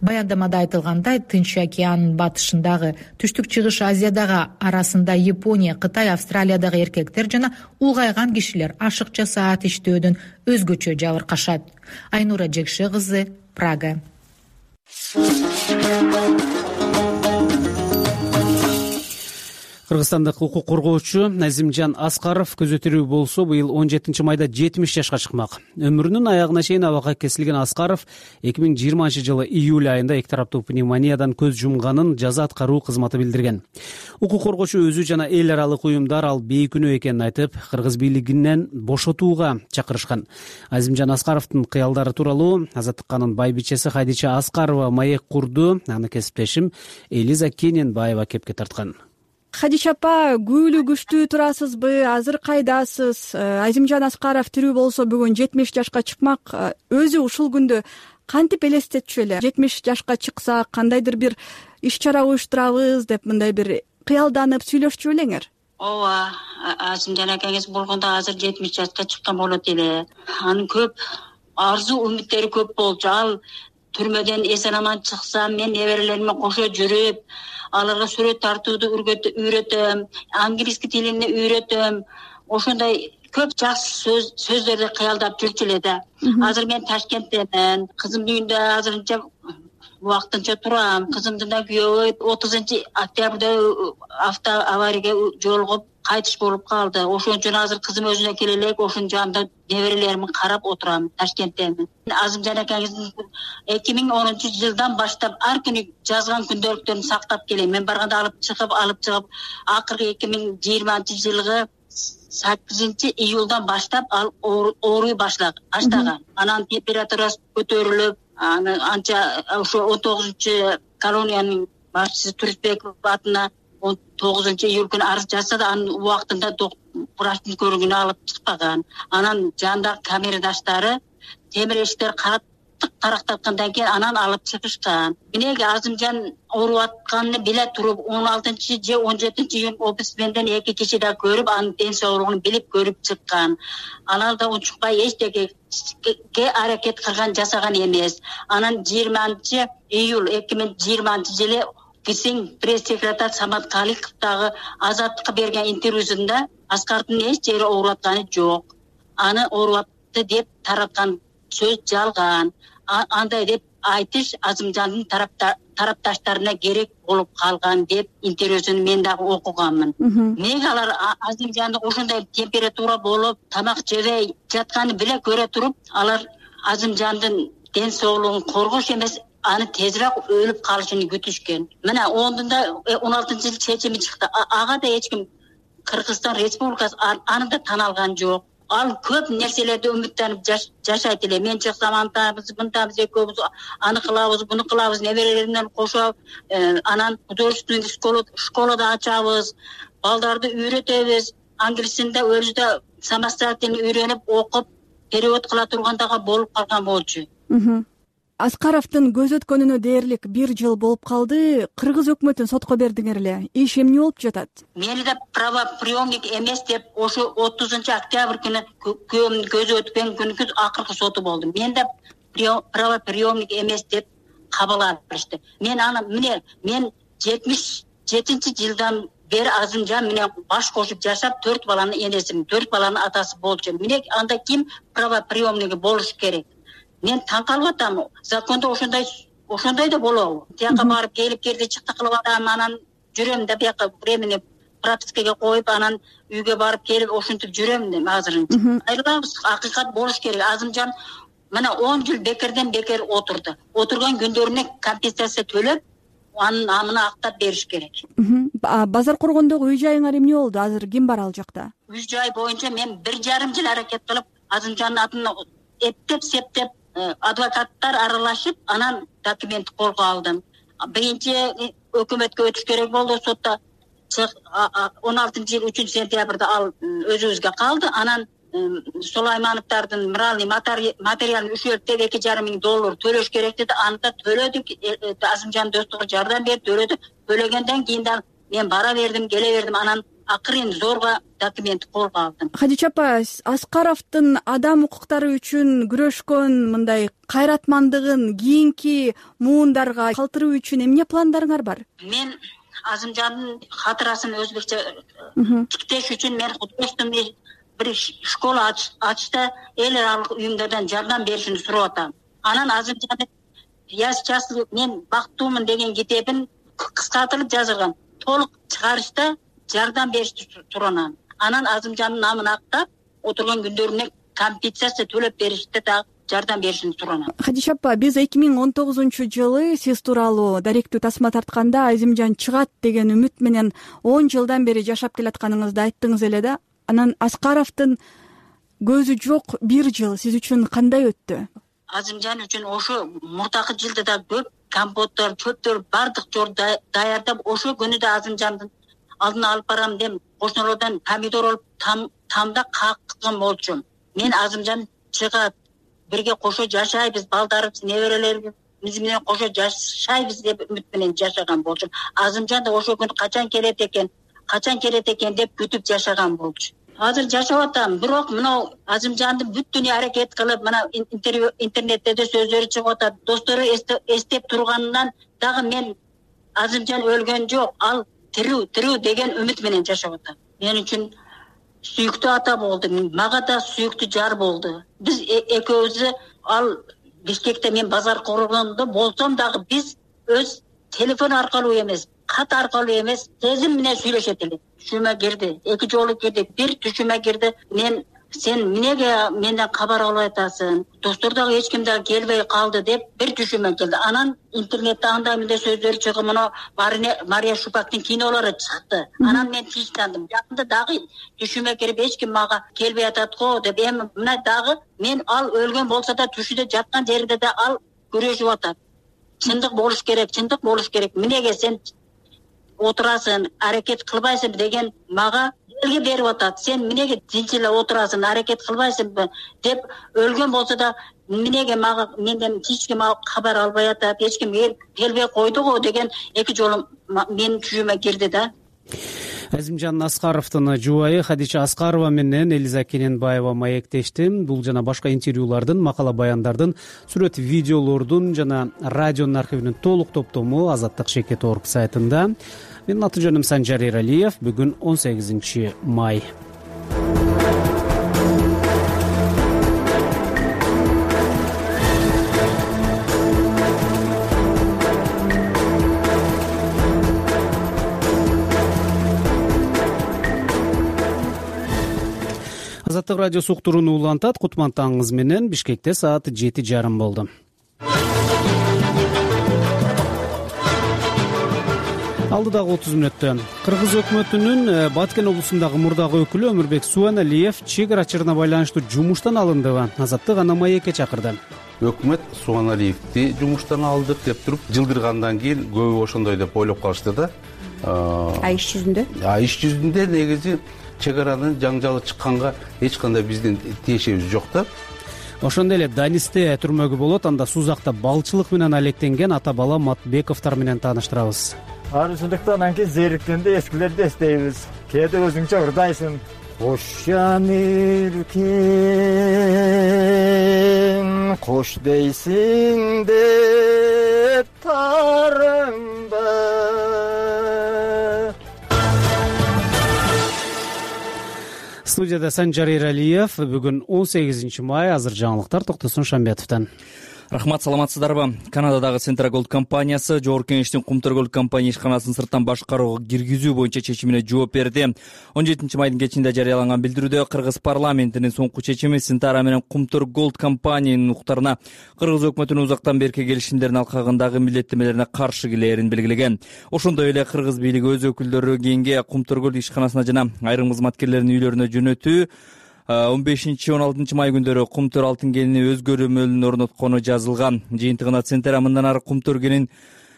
Баяндамада айтылгандай, Тынч океанынын батышындагы, түштүк чыгыш Азиядагы арасында Япония, Кытай, Австралиядагы эркектер жана улгайган кишилер ашыкча саат иштөөдөн өзгөчө жабыркашат. Айнура Жекше кызы, Прага. Кыргызстандык укук коргоочу Азимжан Аскаров көзөтүрүү болсо быйыл он жетинчи майда жетимиш жашка чыкмак. Өмүрүнүн аягына чейин абакка кесилген Аскаров эки миң жыйырманчы жылы июль айында эки тараптуу пневмониядан көз жумганын жаза аткаруу кызматы билдирген. Укук коргоочу өзү жана эл аралык уюмдар ал бейкүнөө экенин айтып, кыргыз бийлигинен бошотууга чакырышкан. Азимжан Аскаровдун кыялдары тууралуу Азаттыкканын байбичеси Хадича Аскарова маек курду. Аны кесиптешим Элиза Кененбаева кепке тарткан. Хадича апа, күбөлүү күчтүү турасызбы? Азыр кайдасыз? Азимжан Аскаров тирүү болсо бүгүн жетимиш жашка чыкмак. Өзү ушул күндө кантип элестетчү эле? жетимиш жашка чыкса кандайдыр бир иш чара уюштурабыз деп мындай бир кыялданып сүйлөшчү белеңер? Ооба, Азимжан акаңыз болгондо азыр жетимиш жашка чыккан болот эле. Анын көп арзу үмүттери көп болчу. Ал түрмөдөн эсен аман чыкса, мен неберелериме кошо жүрүп, аларга сүрөт тартууду үйрөтөм, английский тилин үйрөтөм. Ошондой көп жакшы сөз сөздөрдү кыялдап жүрчү эле да. Азыр мен Ташкенттемен, кызымдын үйүндө азырынча убактынча турам. Кызымдын да күйөөбү отузунчу октябрда автоаварияга жолугуп кайтыш болуп калды. Ошон үчүн азыр кызым өзүнө келе элек, ошонун жанында неберелеримди карап отурам, Ташкенттемин. Азимжан акаңыздын эки миң онунчу жылдан баштап ар күнү жазган күндөлүктөрүн сактап келем. Мен барганда алып чыгып, алып чыгып, акыркы эки миң жыйырманчы жылгы саккызынчы июлдан баштап ал ооруй баштаган. Анан температурасы көтөрүлүп, аны анча ошо он тогузунчу колониянын башчысы Турисбеков атына он тогузунчу июль күнү арыз жазса да, анын убактында врачтын көрүгүнө алып чыкпаган. Анан жандагы камерадаштары темир эшиктер кат каттык тарактаткандан кийин анан алып чыгышкан. Минеги Азымжан ооруп атканын биле туруп он алтынчы же он жетинчи июнь омбудсменден эки киши да көрүп анын ден соолугун билип көрүп чыккан. Анан да унчукпай эчтекеге аракет кылган жасаган эмес. Анан жыйырманчы июль эки миң жыйырманчы жылы биздин пресс-секретарь Самат Каликов дагы Азаттыкка берген интервьюсунда Аскардын эч жери ооруп атканы жок. Аны ооруп атты деп тараткан сөз жалган. Андай деп айтыш Азымжандын тарапташтарына керек болуп калган деп интервьюсун мен дагы окуганмын. Неге алар Азымжанды ошондой температура болуп, тамак жебей жатканын биле көрө туруп, алар Азымжандын ден соолугун коргош эмес, аны тезирээк өлүп калышын күтүшкөн. Мына ондунда он алтынчы жыл чечими чыкты. Ага да эч ким Кыргызстан Республикасы аны да тана алган жок. Ал көп нерселерди үмүттөнүп жашайт эле. Мен чыксам антабыз, мынтабыз, экөөбүз аны кылабыз, буну кылабыз, неберелеримден кошоп, анан художественный школада ачабыз, балдарды үйрөтөбүз, англисинде өзү самостоятельно үйрөнүп, окуп, перевод кыла тургандага болуп калган болчу. Аскаровдун көз өткөнүнө дээрлик бир жыл болуп калды. Кыргыз өкмөтүн сотко бердиңер эле. Иш эмне болуп жатат? Мени да правоприемник эмес деп ошо отузунчу октябрь күнү күйөөмдүн көзү өткөн күнкү акыркы соту болду. Мен да правоприемник эмес деп кабыл алышты. Мен аны міне мен жетимиш жетинчи жылдан бери Азымжан менен баш кошуп жашап, төрт баланын энесимин, төрт баланын атасы болчу. Міне анда ким правоприемниги болуш керек? Мен таң калып атам. Закондо ошондой ошондой да болобу? Тияка барып келип керди чыкты кылып атам, анан жүрөм да бияка времени пропискага коюп, анан үйгө барып келип ошентип жүрөм да азырынча. Айрылабыз, акыйкат болуш керек. Азымжан мына он жыл бекерден бекер отурду. Отурган күндөрүнө компенсация төлөп, анын амына актап бериш керек. Базар коргондогу үй жайыңар эмне болду? Азыр ким бар ал жакта? Үй жай боюнча мен бир жарым жыл аракет кылып, Азымжандын атын эптеп септеп адвокаттар аралашып, анан документ колго алдым. Биринчи өкмөткө өтүш керек болду, сотто он алтынчы жыл үчүнчү сентябрда ал өзүбүзгө калды. Анан Сулаймановдардын моральный материалын үчөлтүп эки жарым миң доллар төлөш керек деди. Аны да төлөдүк. Азымжан достугу жардам берип төлөдү. Төлөгөндөн кийин да мен бара бердим, келе бердим. Анан акырын зорго документ колго алдым. Хадича апа, Аскаровдун адам укуктары үчүн күрөшкөн мындай кайратмандыгын кийинки муундарга калтыруу үчүн эмне пландарыңар бар? Мен Азымжандын хатырасын өзбекче тиктеш үчүн мен художественный бир школа ачты, эл аралык уюмдардан жардам беришин сурап атам. Анан Азымжандын «Я счастлив, мен бактуумун» деген китебин кыскартылып жазылган. Толук чыгарышта жардам беришти туранан. Анан Азымжандын намын актап, отурган күндөрүнө компенсация төлөп беришти да жардам беришин суранам. Хадича апа, биз эки миң он тогузунчу жылы сиз тууралуу даректүү тасма тартканда Азымжан чыгат деген үмүт менен он жылдан бери жашап келатканыңызды айттыңыз эле да. Анан Аскаровдун көзү жок бир жыл сиз үчүн кандай өттү? Азымжан үчүн ошо мурдакы жылда да көп компоттор, чөптөр бардык жор даярдап, ошо күнү да Азымжандын алдына алып барам деп кошуналардан помидор алып тамда каккан болчумун. Мен Азымжан чыгат, бирге кошо жашайбыз, балдарыбыз, неберелерибиз менен кошо жашайбыз деп үмүт менен жашаган болчумун. Азымжан да ошо күн качан келет экен, качан келет экен деп күтүп жашаган болчу. Азыр жашап атам, бирок мына Азымжанды бүт дүнүйө аракет кылып, мына интернетте да сөздөрү чыгып атат. Достору эстеп турганынан дагы мен Азымжан өлгөн жок, ал тирүү, тирүү деген үмүт менен жашап атам. Мен үчүн сүйүктүү ата болду, мага да сүйүктүү жар болду. Биз экөөбүз ал Бишкекте мен базар коргондо болсом дагы биз өз телефон аркылуу эмес, кат аркылуу эмес, сезим менен сүйлөшөт элек. Түшүмө кирди, эки жолу кирди, бир түшүмө кирди. Мен сен эмнеге менден кабар албай атасың? Достор дагы эч ким дагы келбей калды деп бир түшүмө келди. Анан интернетте андай мындай сөздөр чыгып, мына Мария Шупактын кинолору чыкты. Анан мен тынчтандым. Жакында дагы түшүмө кирип эч ким мага келбей атат го деп, эми мына дагы мен ал өлгөн болсо да түшүдө жаткан жеринде да ал күрөшүп атат. Чындык болуш керек, чындык болуш керек. Эмнеге сен отурасың, аракет кылбайсың деген мага элге берип атат. Сен эмнеге тинч эле отурасың, аракет кылбайсыңбы деп өлгөн болсо да эмнеге мага менден эч ким кабар албай атат, эч ким келбей койду го деген эки жолу менин чүйүмө кирди да. Азимжан Аскаровдун жубайы Хадича Аскарова менен Элиза Кененбаева маектешти. Бул жана башка интервьюлардын, макала баяндардын, сүрөт видеолордун жана радионун архивинин толук топтому Азаттык Шекет точка орг сайтында. Менин аты жөнүм Санжар Эралиев. Бүгүн он сегизинчи май. Азаттык радиосу уктурууну улантат. Кутман таңыңыз менен. Бишкекте саат жети жарым болду. Алдыдагы отуз мүнөттө Кыргыз өкмөтүнүн Баткен облусундагы мурдагы өкүлү Өмүрбек Сууаналиев чек ара байланыштуу жумуштан алындыбы? Азаттык аны маекке чакырды. Өкмөт Сууаналиевди жумуштан алдык деп туруп жылдыргандан кийин көбү ошондой деп ойлоп калышты да. А иш жүзүндө? А иш жүзүндө негизи чек аранын жаңжалы чыкканга эч кандай биздин тиешебиз жок да. Ошондой эле Данисте түрмөгү болот. Анда Сузакта балчылык менен алектенген ата бала Матбековдор менен тааныштырабыз. Арчылыктан анан кийин зериктенде эскилерди эстейбиз. Кээде өзүңчө ырдайсың. Кош жан эркин, кош дейсиң деп тарыңба. Студияда Санжар Эралиев. Бүгүн он сегизинчи май. Азыр жаңылыктар Токтосун Шамбетовдон. Рахмат, саламатсыздарбы? Канададагы Centra Gold компаниясы Жогорку Кеңештин Кумтөр Gold компания ишканасын сырттан башкарууга киргизүү боюнча чечимине жооп берди. он жетинчи майдын кечинде жарыяланган билдирүүдө Кыргыз парламентинин соңку чечими Centra менен Кумтөр Gold компаниянын уктарына Кыргыз өкмөтүнүн узактан берки келишимдерин алкагындагы милдеттемелерине каршы келээрин белгилеген. Ошондой эле Кыргыз бийлиги өз өкүлдөрү кийинге Кумтөр Gold ишканасына жана айрым кызматкерлердин үйлөрүнө жөнөтүү он бешинчи он алтынчы май күндөрү Кумтөр алтын кенини өз көрөмөлүн орноткону жазылган. Жыйынтыгында Centra мындан ары Кумтөр кенин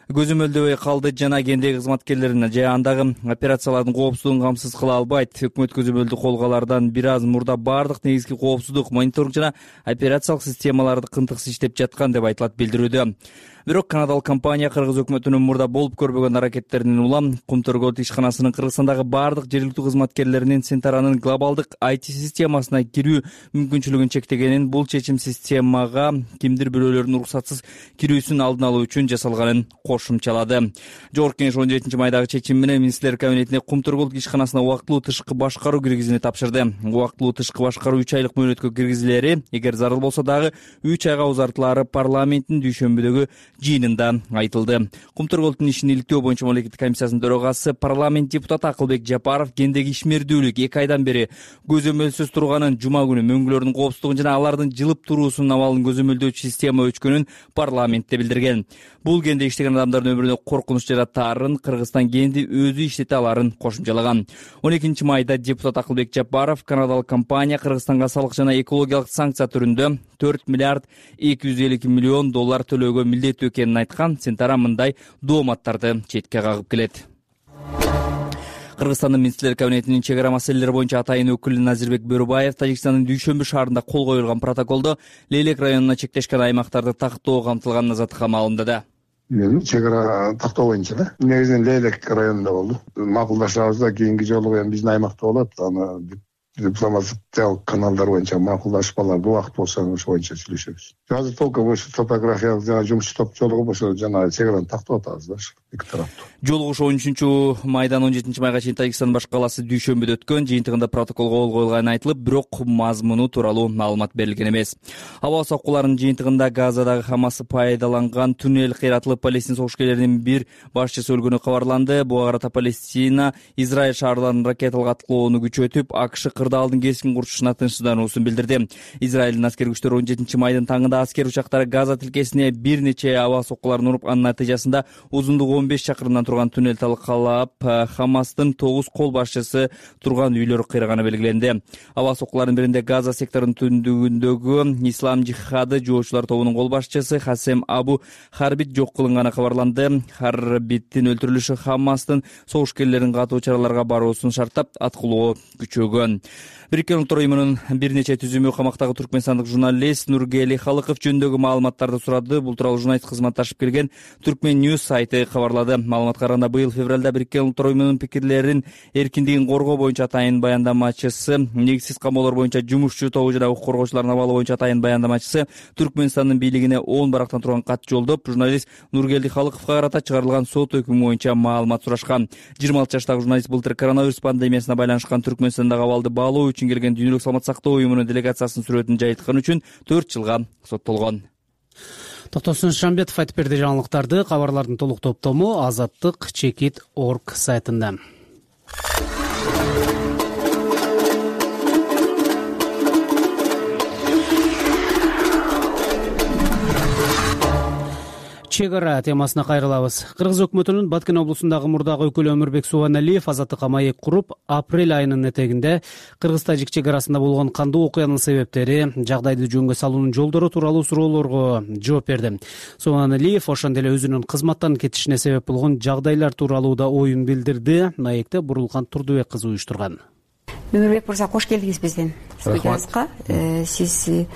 көзөмөлдөбөй калды жана кендеги кызматкерлерин же андагы операциялардын коопсуздугун камсыз кыла албайт. Өкмөт көзөмөлдү кол алардан бир аз мурда бардык негизги коопсуздук, мониторинг жана операциялык системаларды кынтыксыз иштеп жаткан деп айтылат билдирүүдө. Бирок канадалык компания Кыргыз өкмөтүнүн мурда болуп көрбөгөн аракеттеринин улам Кумтөр Gold ишканасынын Кыргызстандагы бардык жергиликтүү кызматкерлеринин Centra'нын глобалдык ай ти системасына кирүү мүмкүнчүлүгүн чектегенин, бул чечим системага кимдир бирөөлөрдүн уруксатсыз кирүүсүн алдын алуу үчүн жасалганын кошумчалады. Жогорку Кеңеш он жетинчи майдагы чечим менен министрлер кабинетине Кумтөр Gold ишканасына убактылуу тышкы башкаруу киргизүүнү тапшырды. Убактылуу тышкы башкаруу үч айлык мөөнөткө киргизилери, эгер зарыл болсо дагы үч айга узартылары парламенттин дүйшөмбүдөгү жыйынында айтылды. Кумтөр Gold'ун ишин иликтөө боюнча мамлекеттик комиссиясынын төрагасы, парламент депутаты Акылбек Жапаров кендеги ишмердүүлүк эки айдан бери көзөмөлсүз турганын, жума күнү мөңгүлөрдүн коопсуздугун жана алардын жылып туруусунун абалын көзөмөлдөөчү система өчкөнүн парламентте билдирген. Бул кенде иштеген адамдардын өмүрүнө коркунуч жаратаарын, Кыргызстан кенди өзү иштете аларын кошумчалаган. он экинчи майда депутат Акылбек Жапаров канадалык компания Кыргызстанга салык жана экологиялык санкция түрүндө төрт миллиард эки жүз элүү эки миллион доллар төлөөгө милдеттүү экенин айткан. Centra мындай дооматтарды четке кагып келет. Кыргызстандын министрлер кабинетинин чек ара маселелери боюнча атайын өкүлү Назирбек Бөрүбаев Тажикстандын Дүйшөмбү шаарында кол коюлган протоколдо Лейлек районуна чектешкен аймактарды тактоо камтылганын Азаттыкка маалымдады. Чек ара тактоо боюнча да. Негизинен Лейлек районунда болду. Макулдашабыз да, кийинки жолу эми биздин аймакта болот. Аны дипломатиялык каналдар боюнча макулдашып алып убакыт болсо ошо боюнча сүйлөшөбүз. Азыр толку ошо топографиялык жана жумуш топ жолугуп ошо жана чек араны тактап атабыз да эки тараптуу. Жолугуш он үчүнчү майдан он жетинчи майга чейин Тажикстандын баш калаасы Дүйшөмбүдө өткөн. Жыйынтыгында протоколго кол коюлганы айтылып, бирок мазмуну тууралуу маалымат берилген эмес. Аба соккуларынын жыйынтыгында Газадагы Хамасы пайдаланган туннель кыйратылып, Палестин согуш-келеринин бир башчысы өлгөнү кабарланды. Буга карата Палестина Израиль шаарларын ракеталык аткылоону күчөтүп, АКШ кырдаалдын кескин курчушуна тынчсыздануусун билдирди. Израилдин аскер күчтөрү он жетинчи майдын таңында аскер учактары Газа тилкесине бир нече аба соккуларын уруп, анын натыйжасында узундугу он беш чакырымдан турган туннель талкалап, Хамастын тогуз кол башчысы турган үйлөр кыйраганы белгиленди. Аба соккулардын биринде Газа секторунун түндүгүндөгү Ислам жихады жоочулар тобунун кол башчысы Хасем Абу Харбит жок кылынганы кабарланды. Харбиттин өлтүрүлүшү Хамастын согушкерлерин катуу чараларга баруусун шарттап, аткылоо күчөгөн. Бириккен Улуттар Уюмунун бир нече түзүмү камактагы түркмөнстандык журналист Нургели Халыков жөнүндөгү маалыматтарды сурады. Бул тууралуу журналист кызматташып келген Түркмен News сайты кабарлады. Маалыматка караганда, быйыл февралда Бириккен Улуттар Уюмунун пикирлерин эркиндигин коргоо боюнча атайын баяндамачысы, негизсиз камоолор боюнча жумушчу тобу жана укук коргоочулардын абалы боюнча атайын баяндамачысы Түркмөнстандын бийлигине он барактан турган кат жолдоп, журналист Нургели Халыковго карата чыгарылган сот өкүмү боюнча маалымат сурашкан. жыйырма алты жаштагы журналист былтыр коронавирус пандемиясына байланышкан Түркмөнстандагы абалды баалоо үчүн келген Дүйнөлүк саламат сактоо уюмунун делегациясынын сүрөтүн жайылткан үчүн төрт жылга соттолгон. Токтосун Шамбетов айтып берди жаңылыктарды. Кабарлардын толук топтому азаттык чекит точка орг сайтында. Чек ара темасына кайрылабыз. Кыргыз өкмөтүнүн Баткен облусундагы мурдагы өкүлү Өмүрбек Субаналиев азаттыкка маек куруп, апрель айынын этегинде Кыргыз-Тажик чек арасында болгон кандуу окуянын себептери, жагдайды жөнгө салуунун жолдору тууралуу суроолорго жооп берди. Субаналиев ошондой эле өзүнүн кызматтан кетишине себеп болгон жагдайлар тууралуу да оюн билдирди. Маекте Бурулкан Турдубек кызы уюштурган. Өмүрбек мырза, кош келдиңиз биздин студиябызга. Сиз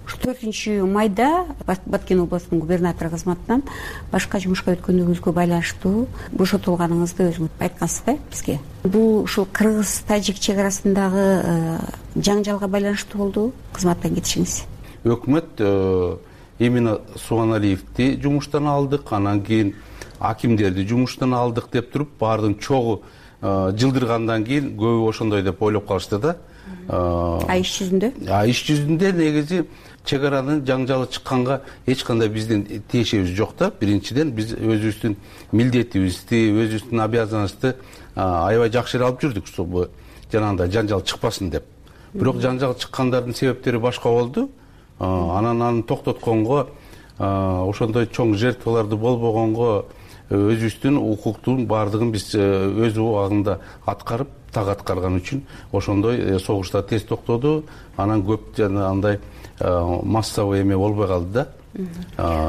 төртүнчү майда Баткен облусунун губернатору кызматынан башка жумушка өткөндүгүңүзгө байланыштуу бошотулганыңызды өзүңүз айткансыз да бизге. Бул ушул Кыргыз-Тажик чек арасындагы жаңжалга байланыштуу болду кызматтан кетишиңиз? Өкмөт именно Субаналиевди жумуштан алдык, анан кийин акимдерди жумуштан алдык деп туруп, баардын чогуу жылдыргандан кийин көбү ошондой деп ойлоп калышты да. А иш жүзүндө? А иш жүзүндө негизи чек аранын жаңжалы чыкканга эч кандай биздин тиешебиз жок да. Биринчиден биз өзүбүздүн милдетибизди, өзүбүздүн обязанностьты аябай жакшы эле алып жүрдүк, чтобы жанагындай жаңжал чыкпасын деп. Бирок жаңжал чыккандардын себептери башка болду. Анан аны токтотконго, ошондой чоң жертваларды болбогонго өзүбүздүн укуктун баардыгын биз өз убагында аткарып, так аткарган үчүн ошондой согуштар тез токтоду. Анан көп андай массовый эме болбой калды да,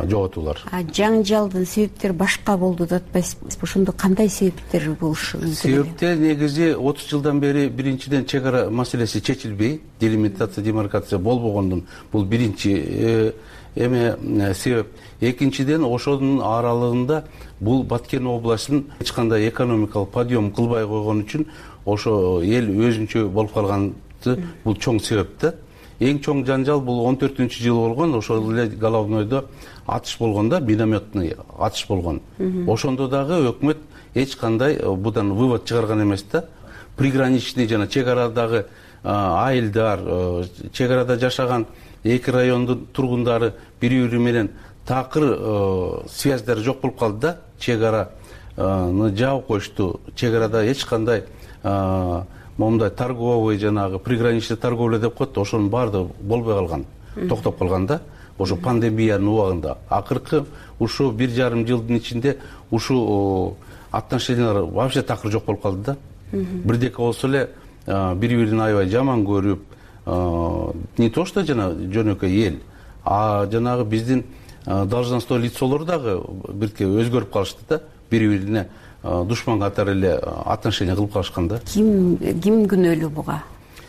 жоготуулар. А жаңжалдын себептери башка болду деп атпайсызбы? Ошондо кандай себептер болушу мүмкүн? Себептер негизи отуз жылдан бери биринчиден чек ара маселеси чечилбей, делимитация, демаркация болбогондун бул биринчи эме себеп. Экинчиден, ошонун аралыгында бул Баткен областынын эч кандай экономикалык подъем кылбай койгон үчүн ошо эл өзүнчө болуп калганды бул чоң себеп да. Эң чоң жаңжал бул он төртүнчү жыл болгон, ошол эле Головнойдо атыш болгон да, минометный атыш болгон. Ошондо дагы өкмөт эч кандай будан вывод чыгарган эмес да. Приграничный жана чек арадагы айылдар, чек арада жашаган эки райондун тургундары бири-бири менен такыр связьдары жок болуп калды да. Чек араны жаап коюшту. Чек арада эч кандай момундай торговый жанагы приграничный торговля деп коет, ошонун баардыгы болбой калган, токтоп калган да. Ошо пандемиянын убагында акыркы ушу бир жарым жылдын ичинде ушу отношениялар вообще такыр жок болуп калды да. Бирдеке болсо эле бири-бирин аябай жаман көрүп, не то что жана жөнөкөй эл, а жанагы биздин должностной лицолор дагы бирке өзгөрүп калышты да. Бири-бирине душман катары эле отношение кылып калышкан да. Ким ким күнөөлүү буга?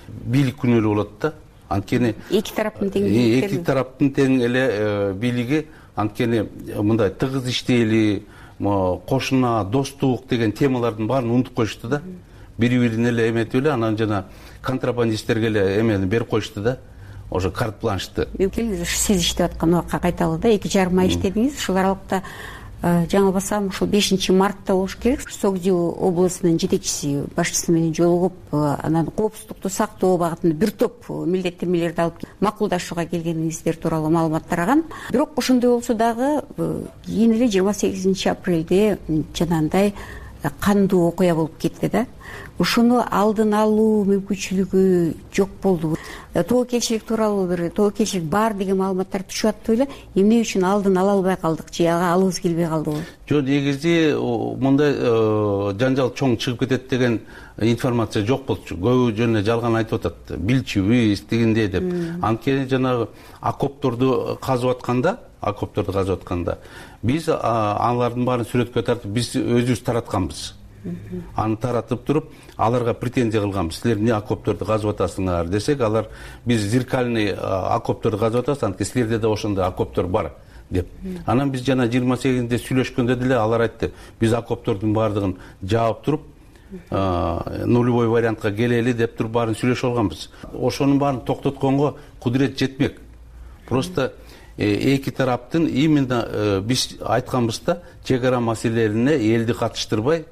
Бийлик күнөөлүү болот да. Анткени эки тараптын тең эки тараптын тең эле бийлиги, анткени мындай тыгыз иштейли, кошуна, достук деген темалардын баарын унутуп коюшту да. Бири-бирин эле эметип эле, анан жана контрабандисттерге эле эмени берип коюшту да. Ошо карт-бланшты. Сиз иштеп аткан убакка кайталы да, эки жарым ай иштедиңиз. Ушул аралыкта жаңылбасам ушул бешинчи мартта болуш керек. Согдил облусунун жетекчиси башчысы менен жолугуп, анан коопсуздукту сактоо багытында бир топ милдеттенмелерди алып макулдашууга келгениңиздер тууралуу маалымат тараган. Бирок ошондой болсо дагы кийин эле жыйырма сегизинчи апрелде жанагындай кандуу окуя болуп кетти да. Ошону алдын алуу мүмкүнчүлүгү жок болду. Тобокелчилик тууралуу бир тобокелчилик бар деген маалыматтар түшүп аттыбы эле. Эмне үчүн алдын ала албай калдык же ага алыбыз келбей калдыбы? Жок, негизи мындай жанжал чоң чыгып кетет деген информация жок болчу. Көбү жөн жалган айтып атат. Билчүбүз дегендей деп. Анткени жанагы окопторду казып атканда, окопторду казып атканда биз алардын баарын сүрөткө тартып биз өзүбүз таратканбыз. Аны таратып туруп, аларга претензия кылганбыз. Силер эмне окопторду казып атасыңар десек, алар биз зеркальный окопторду казып атабыз, анткени силерде да ошондой окоптор бар деп. Анан биз жана жыйырма сегизинде сүйлөшкөндө деле алар айтты, биз окоптордун баардыгын жаап туруп, нулевой вариантка келели деп туруп баарын сүйлөшүп алганбыз. Ошонун баарын токтотконго кудурет жетмек. Просто эки тараптын именно биз айтканбыз да, чек ара маселелерине элди катыштырбай,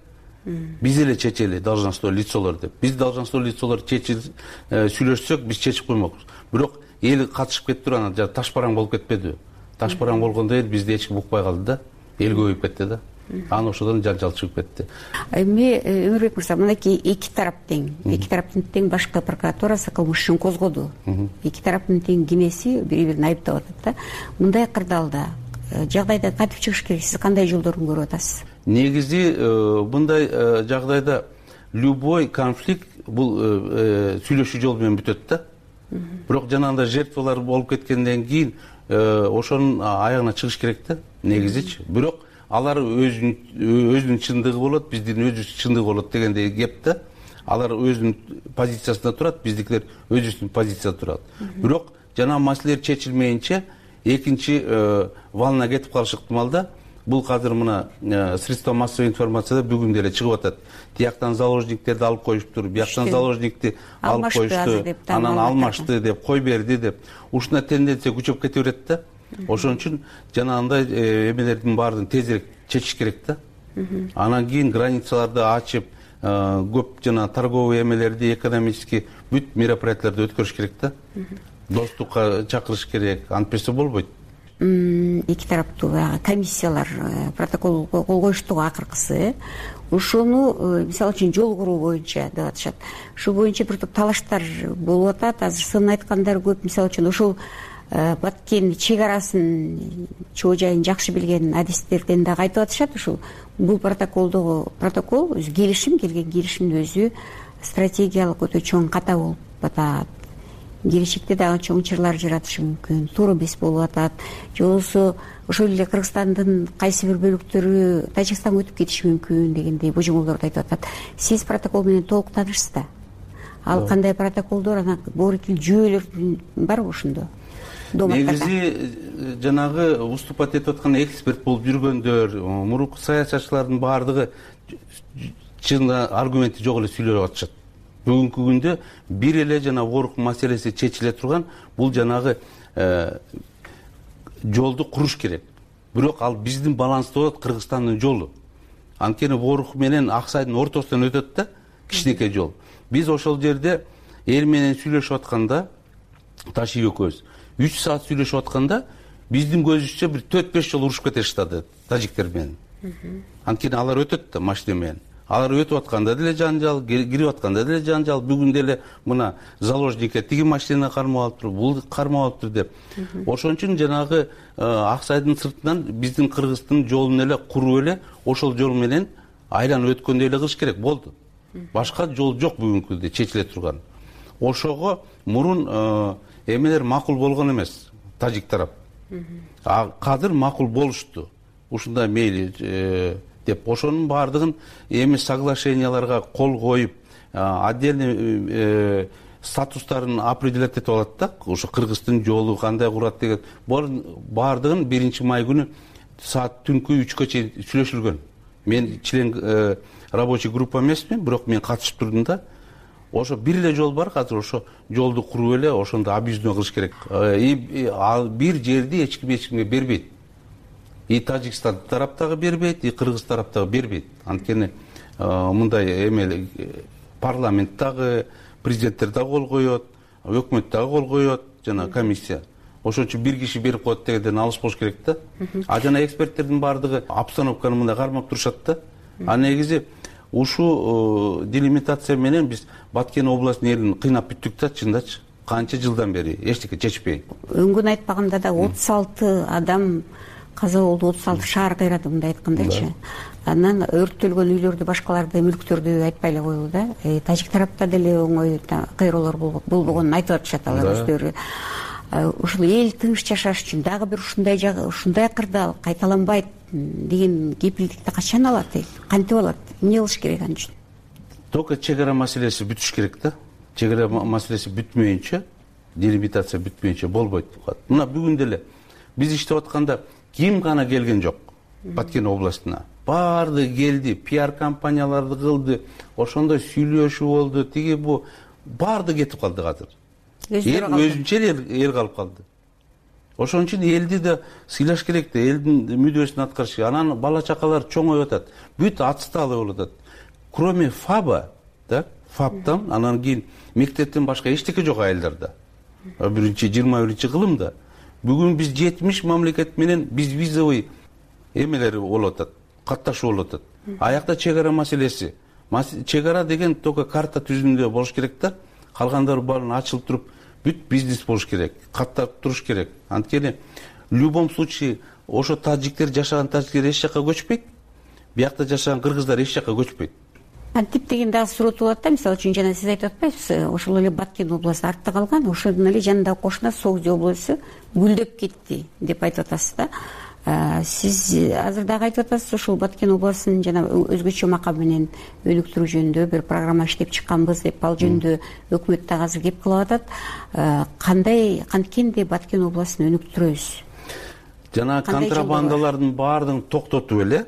биз эле чечели, должностной лицолор деп. Биз должностной лицолор чечип сүйлөшсөк, биз чечип коймокпуз. Бирок эл катышып кетип туруп, анан таш бараң болуп кетпедиби? Таш бараң болгондо эл бизди эч ким укпай калды да. Эл көбөйүп кетти да. Анан ошодон жанжал чыгып кетти. Эми Өмүрбек мырза, мынакей эки тарап тең, эки тараптын тең башкы прокуратурасы кылмыш ишин козгоду. Эки тараптын тең кенеси бири-бирин айыптап атат да. Мындай кырдаалда жагдайда кантип чыгыш керек? Сиз кандай жолдорун көрүп атасыз? Негизи мындай жагдайда любой конфликт бул сүйлөшүү жолу менен бүтөт да. Бирок жанагындай жертвалар болуп кеткенден кийин ошонун аягына чыгыш керек да, негизичи. Бирок алар өзүнүн чындыгы болот, биздин өзүбүздүн чындыгы болот дегендей кеп да. Алар өзүнүн позициясында турат, биздикилер өзүбүздүн позицияда турат. Бирок жана маселелер чечилмейинче экинчи волна кетип калыш ыктымал да. Бул азыр мына средства массовой информацияда бүгүн деле чыгып атат. Тияктан заложниктерди алып коюштур, бияктан заложникти алып коюшту, анан алмашты деп, кой берди деп. Ушундай тенденция күчөп кете берет да. Ошон үчүн жанагындай эмелердин баарын тезирээк чечиш керек да. Анан кийин границаларды ачып, көп жана торговый эмелерди, экономический бүт мероприятияларды өткөрүш керек да. Достукка чакырыш керек, антпесе болбойт. Эки тараптуу комиссиялар протокол кол коюшту акыркысы. Ошону мисалы үчүн жол куруу боюнча деп атышат. Ушул боюнча бир топ талаштар болуп атат. Азыр сын айткандар көп. Мисалы үчүн ошол Баткен чек арасын чоо жайын жакшы билген адистерден дагы айтып атышат. Ушул бул протоколдогу протокол өзү келишим, келген келишимдин өзү стратегиялык өтө чоң ката болуп атат. Келечекте дагы чоң чырлар жаратышы мүмкүн, туура эмес болуп атат. Же болбосо ошол эле Кыргызстандын кайсы бир бөлүктөрү Тажикстанга өтүп кетиши мүмкүн дегендей божомолдорду айтып атат. Сиз протокол менен толук таанышсыз да? Ал кандай протоколдор, анан боорукил жүйөлөр барбы ошондо? Негизи жанагы выступать этип аткан эксперт болуп жүргөндөр, мурунку саясатчылардын баардыгы чын аргументи жок эле сүйлөп атышат. Бүгүнкү күндө бир эле жана оорук маселеси чечиле турган, бул жанагы жолду куруш керек. Бирок ал биздин баланста болот, Кыргызстандын жолу. Анткени оорук менен Аксайдын ортосунан өтөт да, кичинекей жол. Биз ошол жерде эл менен сүйлөшүп атканда, Таши экөөбүз үч саат сүйлөшүп атканда, биздин көзүбүзчө бир төрт беш жолу урушуп кете баштады тажиктер менен. Анткени алар өтөт да машина менен. Алар өтүп атканда деле жанжал, кирип атканда деле жанжал. Бүгүн деле мына заложникке тиги машина кармап алыптыр, бул кармап алыптыр деп. Ошон үчүн жанагы Аксайдын сыртынан биздин Кыргыздын жолун эле куруп эле ошол жол менен айланып өткөндөй эле кылыш керек болду. Башка жол жок бүгүнкү күндө чечиле турган. Ошого мурун эмелер макул болгон эмес, тажик тарап. Азыр макул болушту. Ушундай мейли деп ошонун баардыгын эми соглашенияларга кол коюп, отдельный статустарын определять этип алат да. Ошо Кыргыздын жолу кандай курат деген баардыгын биринчи май күнү саат түнкү үчкө чейин сүйлөшүлгөн. Мен член рабочий группа эмесмин, бирок мен катышып турдум да. Ошо бир эле жол бар, азыр ошо жолду куруп эле ошондо объездной кылыш керек. И ал бир жерди эч ким эч кимге бербейт. И Тажикстан тараптагы бербейт, и Кыргыз тараптагы бербейт. Анткени мындай эме парламент дагы, президенттер дагы кол коет, өкмөт дагы кол коет, жана комиссия. Ошон үчүн бир киши берип коет дегенден алыс болуш керек да. А жана эксперттердин баардыгы обстановканы мындай кармап турушат да. А негизи ушул делимитация менен биз Баткен областынын элин кыйнап бүттүк да, чындачы канча жылдан бери эчтеке чечпей. Өңгөн айтпаганда да отуз алты адам каза болду, отуз алты шаар кыйрады, мындай айткандачы. Анан өрттөлгөн үйлөрдү, башкаларды, мүлктөрдү айтпай эле коелу да. Тажик тарапта деле оңой кыйроолор болбогонун айтып атышат алар өздөрү. Ушул эл тыныч жашаш үчүн дагы бир ушундай ушундай кырдаал кайталанбайт деген кепилдикти качан алат эл? Кантип алат? Эмне кылыш керек ан үчүн? Только чек ара маселеси бүтүш керек да. Чек ара маселеси бүтмөйүнчө, делимитация бүтмөйүнчө болбойт. Мына бүгүн деле биз иштеп атканда ким гана келген жок Баткен областына. Баардыгы келди, пиар компанияларды кылды, ошондой сүйлөшүү болду, тиги бу баардыгы кетип калды азыр. Эл өзүнчө эл калып калды. Ошон үчүн элди да сыйлаш керек да, элдин мүдөөсүн аткарыш керек. Анан бала чакалар чоңоюп атат, бүт отсталый болуп атат. Кроме ФАБа, да, ФАБтан анан кийин мектептен башка эчтеке жок айылдарда. биринчи жыйырма биринчи кылымда бүгүн биз жетимиш мамлекет менен безвизовый эмелер болуп атат, катташуу болуп атат. Аякта чек ара маселеси. Чек ара деген только карта түзүмдө болуш керек да. Калгандары баарын ачылып туруп, бүт бизнес болуш керек, каттап туруш керек. Анткени в любом случае ошо тажиктер жашаган тажиктер эч жака көчпөйт, биякта жашаган кыргыздар эч жака көчпөйт. Кантип деген дагы суроо болот да. Мисалы үчүн жана сиз айтып атпайсызбы, ошол эле Баткен областы артта калган, ошондон эле жанында кошуна Согди областу гүлдөп кетти деп айтып атасыз да. Сиз азыр дагы айтып атасыз, ушул Баткен областын жана өзгөчө макам менен өнүктүрүү жөнүндө бир программа иштеп чыкканбыз деп, ал жөнүндө өкмөт дагы азыр кеп кылып атат. Кандай, канткенде Баткен областын өнүктүрөбүз? Жана контрабандалардын баардыгын токтотуп эле,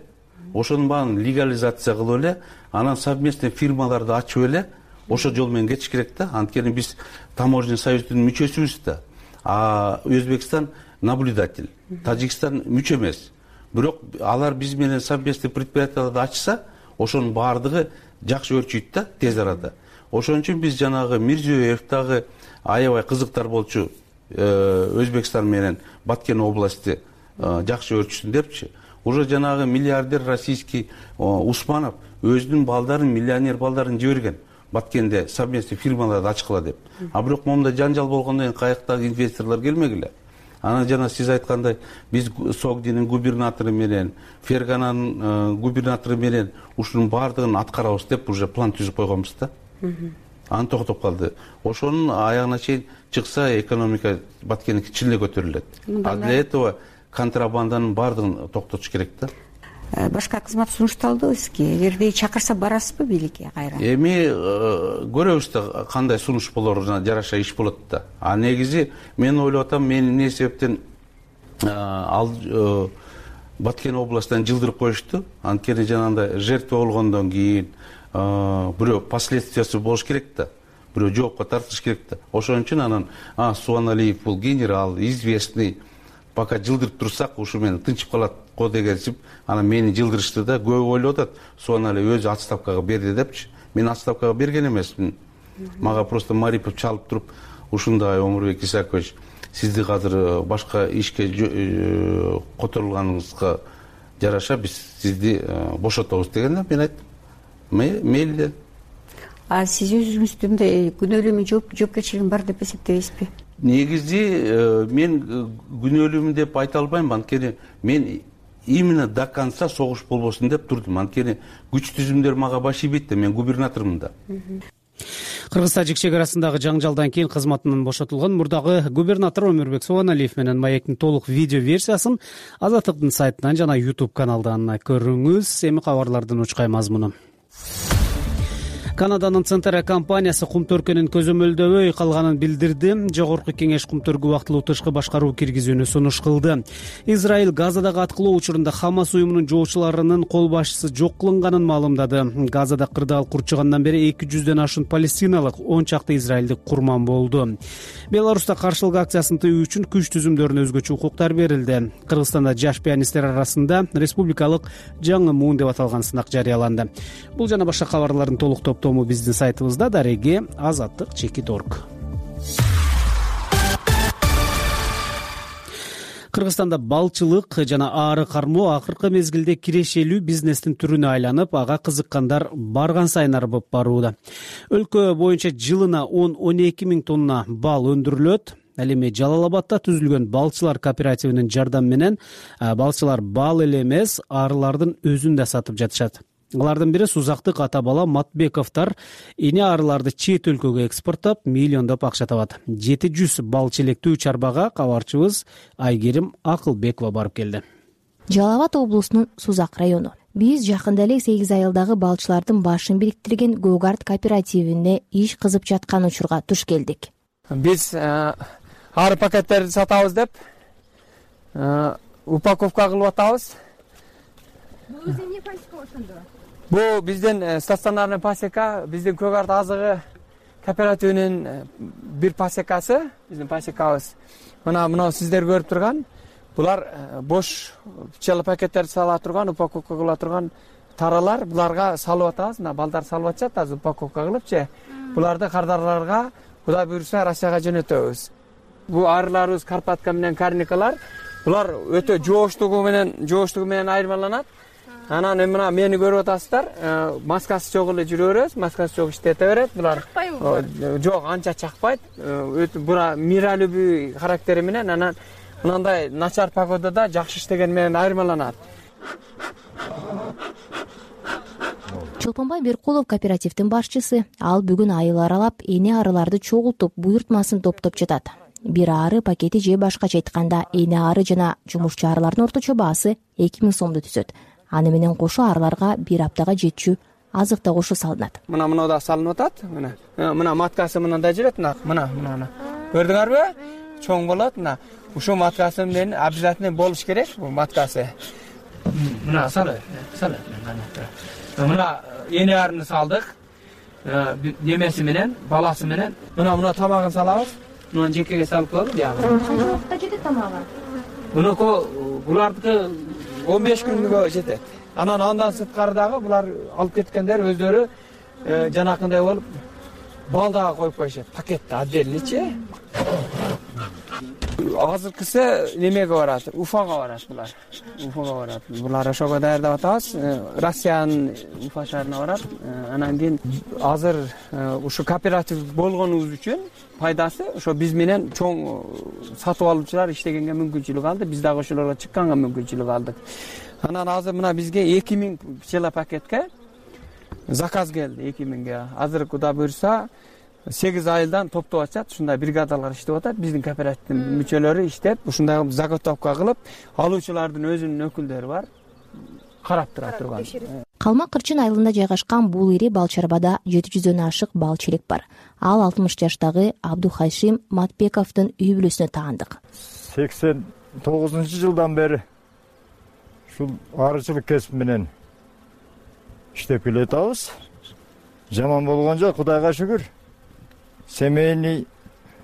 ошонун баарын легализация кылып эле, анан совместный фирмаларды ачып эле, ошол жол менен кетиш керек да. Анткени биз таможенный союздун мүчөсүбүз да. А Өзбекстан наблюдатель, Тажикстан мүчө эмес. Бирок алар биз менен совместный предприятияларды ачса, ошонун баардыгы жакшы өрчүйт да, тез арада. Ошон үчүн биз жанагы Мирзиёев дагы аябай кызыктар болчу, Өзбекстан менен Баткен областы жакшы өрчүсүн депчи. Уже жанагы миллиардер российский Усманов өзүнүн балдарын, миллионер балдарын жиберген. Баткенде совместный фирмаларды ачкыла деп. А бирок момундай жанжал болгондон кийин каяктагы инвесторлор келмегиле. Анан жана сиз айткандай, биз Согдинин губернатору менен, Фергананын губернатору менен ушунун баардыгын аткарабыз деп уже план түзүп койгонбуз да. Аны токтоп калды. Ошонун аягына чейин чыкса, экономика Баткендики чын эле көтөрүлөт. А для этого контрабанданын баардыгын токтотуш керек да. Башка кызмат сунушталдыбы сизге? Эгерде чакырса барасызбы бийликке кайра? Эми көрөбүз да кандай сунуш болоруна жараша иш болот да. А негизи мен ойлоп атам, мен эмне себептен ал Баткен областынан жылдырып коюшту? Анткени жанагындай жертва болгондон кийин бирөө последствиясы болуш керек да. Бирөө жоопко тартылыш керек да. Ошон үчүн анан Субаналиев бул генерал, известный, пока жылдырып турсак, ушу менен тынчып калат го дегенсип, анан мени жылдырышты да. Көбү ойлоп атат, Субаналиев өзү отставкага берди депчи. Мен отставкага берген эмесмин. Мага просто Марипов чалып туруп, ушундай Омурбек Исакович, сизди азыр башка ишке которулганыңызга жараша биз сизди бошотобуз дегенде, мен айттым, мейли. А сиз өзүңүздү мындай күнөөлүү жоопкерчилигиң бар деп эсептейсизби? Негизи мен күнөөлүүмүн деп айта албайм, анткени мен именно до конца согуш болбосун деп турдум. Анткени күч түзүмдөр мага баш ийбейт да, мен губернатормун да. Кыргыз-Тажик чек арасындагы жаңжалдан кийин кызматынан бошотулган мурдагы губернатор Омурбек Субаналиев менен маектин толук видео версиясын Азаттыктын сайтынан жана YouTube каналдан көрүңүз. Эми кабарлардын учкай мазмуну. Канаданын Центера компаниясы кумтөркөнүн көзөмөлдөбөй калганын билдирди. Жогорку кеңеш кумтөркү убактылуу тышкы башкаруу киргизүүнү сунуш кылды. Израиль Газадагы аткылоо учурунда Хамас уюмунун жоочуларынын кол башчысы жок кылынганын маалымдады. Газада кырдаал курчугандан бери эки жүздөн ашуун палестиналык, он чакты израилдик курман болду. Беларуста каршылык акциясын тыюу үчүн күч түзүмдөрүнө өзгөчө укуктар берилди. Кыргызстанда жаш пианисттер арасында республикалык жаңы муун деп аталган сынак жарыяланды. Бул жана башка кабарлардын толук топтому биздин сайтыбызда дареги азаттык чекит точка орг. Кыргызстанда балчылык жана аары кармоо акыркы мезгилде кирешелүү бизнестин түрүнө айланып, ага кызыккандар барган сайын арбып барууда. Өлкө боюнча жылына он он эки миң тонна бал өндүрүлөт. Ал эми Жалал Абадта түзүлгөн балчылар кооперативинин жардамы менен балчылар бал эле эмес, аарылардын өзүн да сатып жатышат. Алардын бири Сузактык ата бала Матбековдор эне арыларды чет өлкөгө экспорттоп, миллиондоп акча табат. жети жүз бал челектүү чарбага кабарчыбыз Айгерим Акылбекова барып келди. Жалал Абад облусунун Сузак району. Биз жакында эле сегиз айылдагы балчылардын башын бириктирген Гогард кооперативине иш кызып жаткан учурга туш келдик. Биз ары пакеттерди сатабыз деп упаковка кылып атабыз. Бул эмне пасека ошондо? Бул биздин стационарный пасека, биздин Гогард азыгы кооперативинин бир пасекасы, биздин пасекабыз. Мына мына сиздер көрүп турган, булар бош пчела пакеттерди сала турган, упаковка кыла турган таралар, буларга салып атабыз. Мына балдар салып атышат, азыр упаковка кылыпчы. Буларды кардарларга Кудай буйруса Россияга жөнөтөбүз. Бул арыларыбыз Карпатка менен Карникалар. Булар өтө жооштугу менен, жооштугу менен айырмаланат. Анан мына мени көрүп атасыздар, маскасы жок эле жүрө беребиз, маскасы жок иштете берет. Булар жок, анча чакпайт. Өтө бура миралюбий характери менен, анан мындай начар погодада жакшы иштеген менен айырмаланат. Чолпонбай Беркулов кооперативдин башчысы. Ал бүгүн айыл аралап, эне арыларды чогултуп, буйртмасын топтоп жатат. Бир ары пакети же башкача айтканда, эне ары жана жумушчу арылардын орточо баасы эки миң сомду түзөт. Аны менен кошо арыларга бир аптага жетчү азык да кошо салынат. Мына мына да салынып атат. Мына мына маткасы мындай жүрөт, мына мына мына. Көрдүңөрбү? Чоң болот, мына. Ушул маткасы менен обязательно болуш керек, бул маткасы. Мына салып, салып. Мына эне арыны салдык. Немеси менен, баласы менен. Мына мына тамагын салабыз. Мына жекеге салып коебуз, жагы. Канча убакытта жетет тамагы? Муну булардыкы он беш күнгө жетет. Анан андан сырткары дагы булар алып кеткендер өздөрү жанакындай болуп бал дагы коюп коюшат. Пакетте отдельныйчи. Азыркысы немеге барат, Уфага барат булар. Уфага барат. Булар ошого даярдап атабыз. Россиянын Уфа шаарына барат. Анан кийин азыр ушу кооператив болгонубуз үчүн пайдасы ошо биз менен чоң сатып алуучулар иштегенге мүмкүнчүлүк алды. Биз дагы ошолорго чыкканга мүмкүнчүлүк алдык. Анан азыр мына бизге эки миң пчела пакетке заказ келди, эки миңге. Азыр Кудай буйруса сегиз айылдан топтоп атышат, ушундай бригадалар иштеп атат. Биздин кооперативдин мүчөлөрү иштеп, ушундай заготовка кылып, алуучулардын өзүнүн өкүлдөрү бар. Карап тура турган. Калмак Кырчын айылында жайгашкан бул ири балчарбада жети жүздөн ашык бал челек бар. Ал алтымыш жаштагы Абдухашим Матбековдун үй бүлөсүнө таандык. сексен тогузунчу жылдан бери ушул арычылык кесип менен иштеп келатабыз. Жаман болгон жок, Кудайга шүгүр. Семейный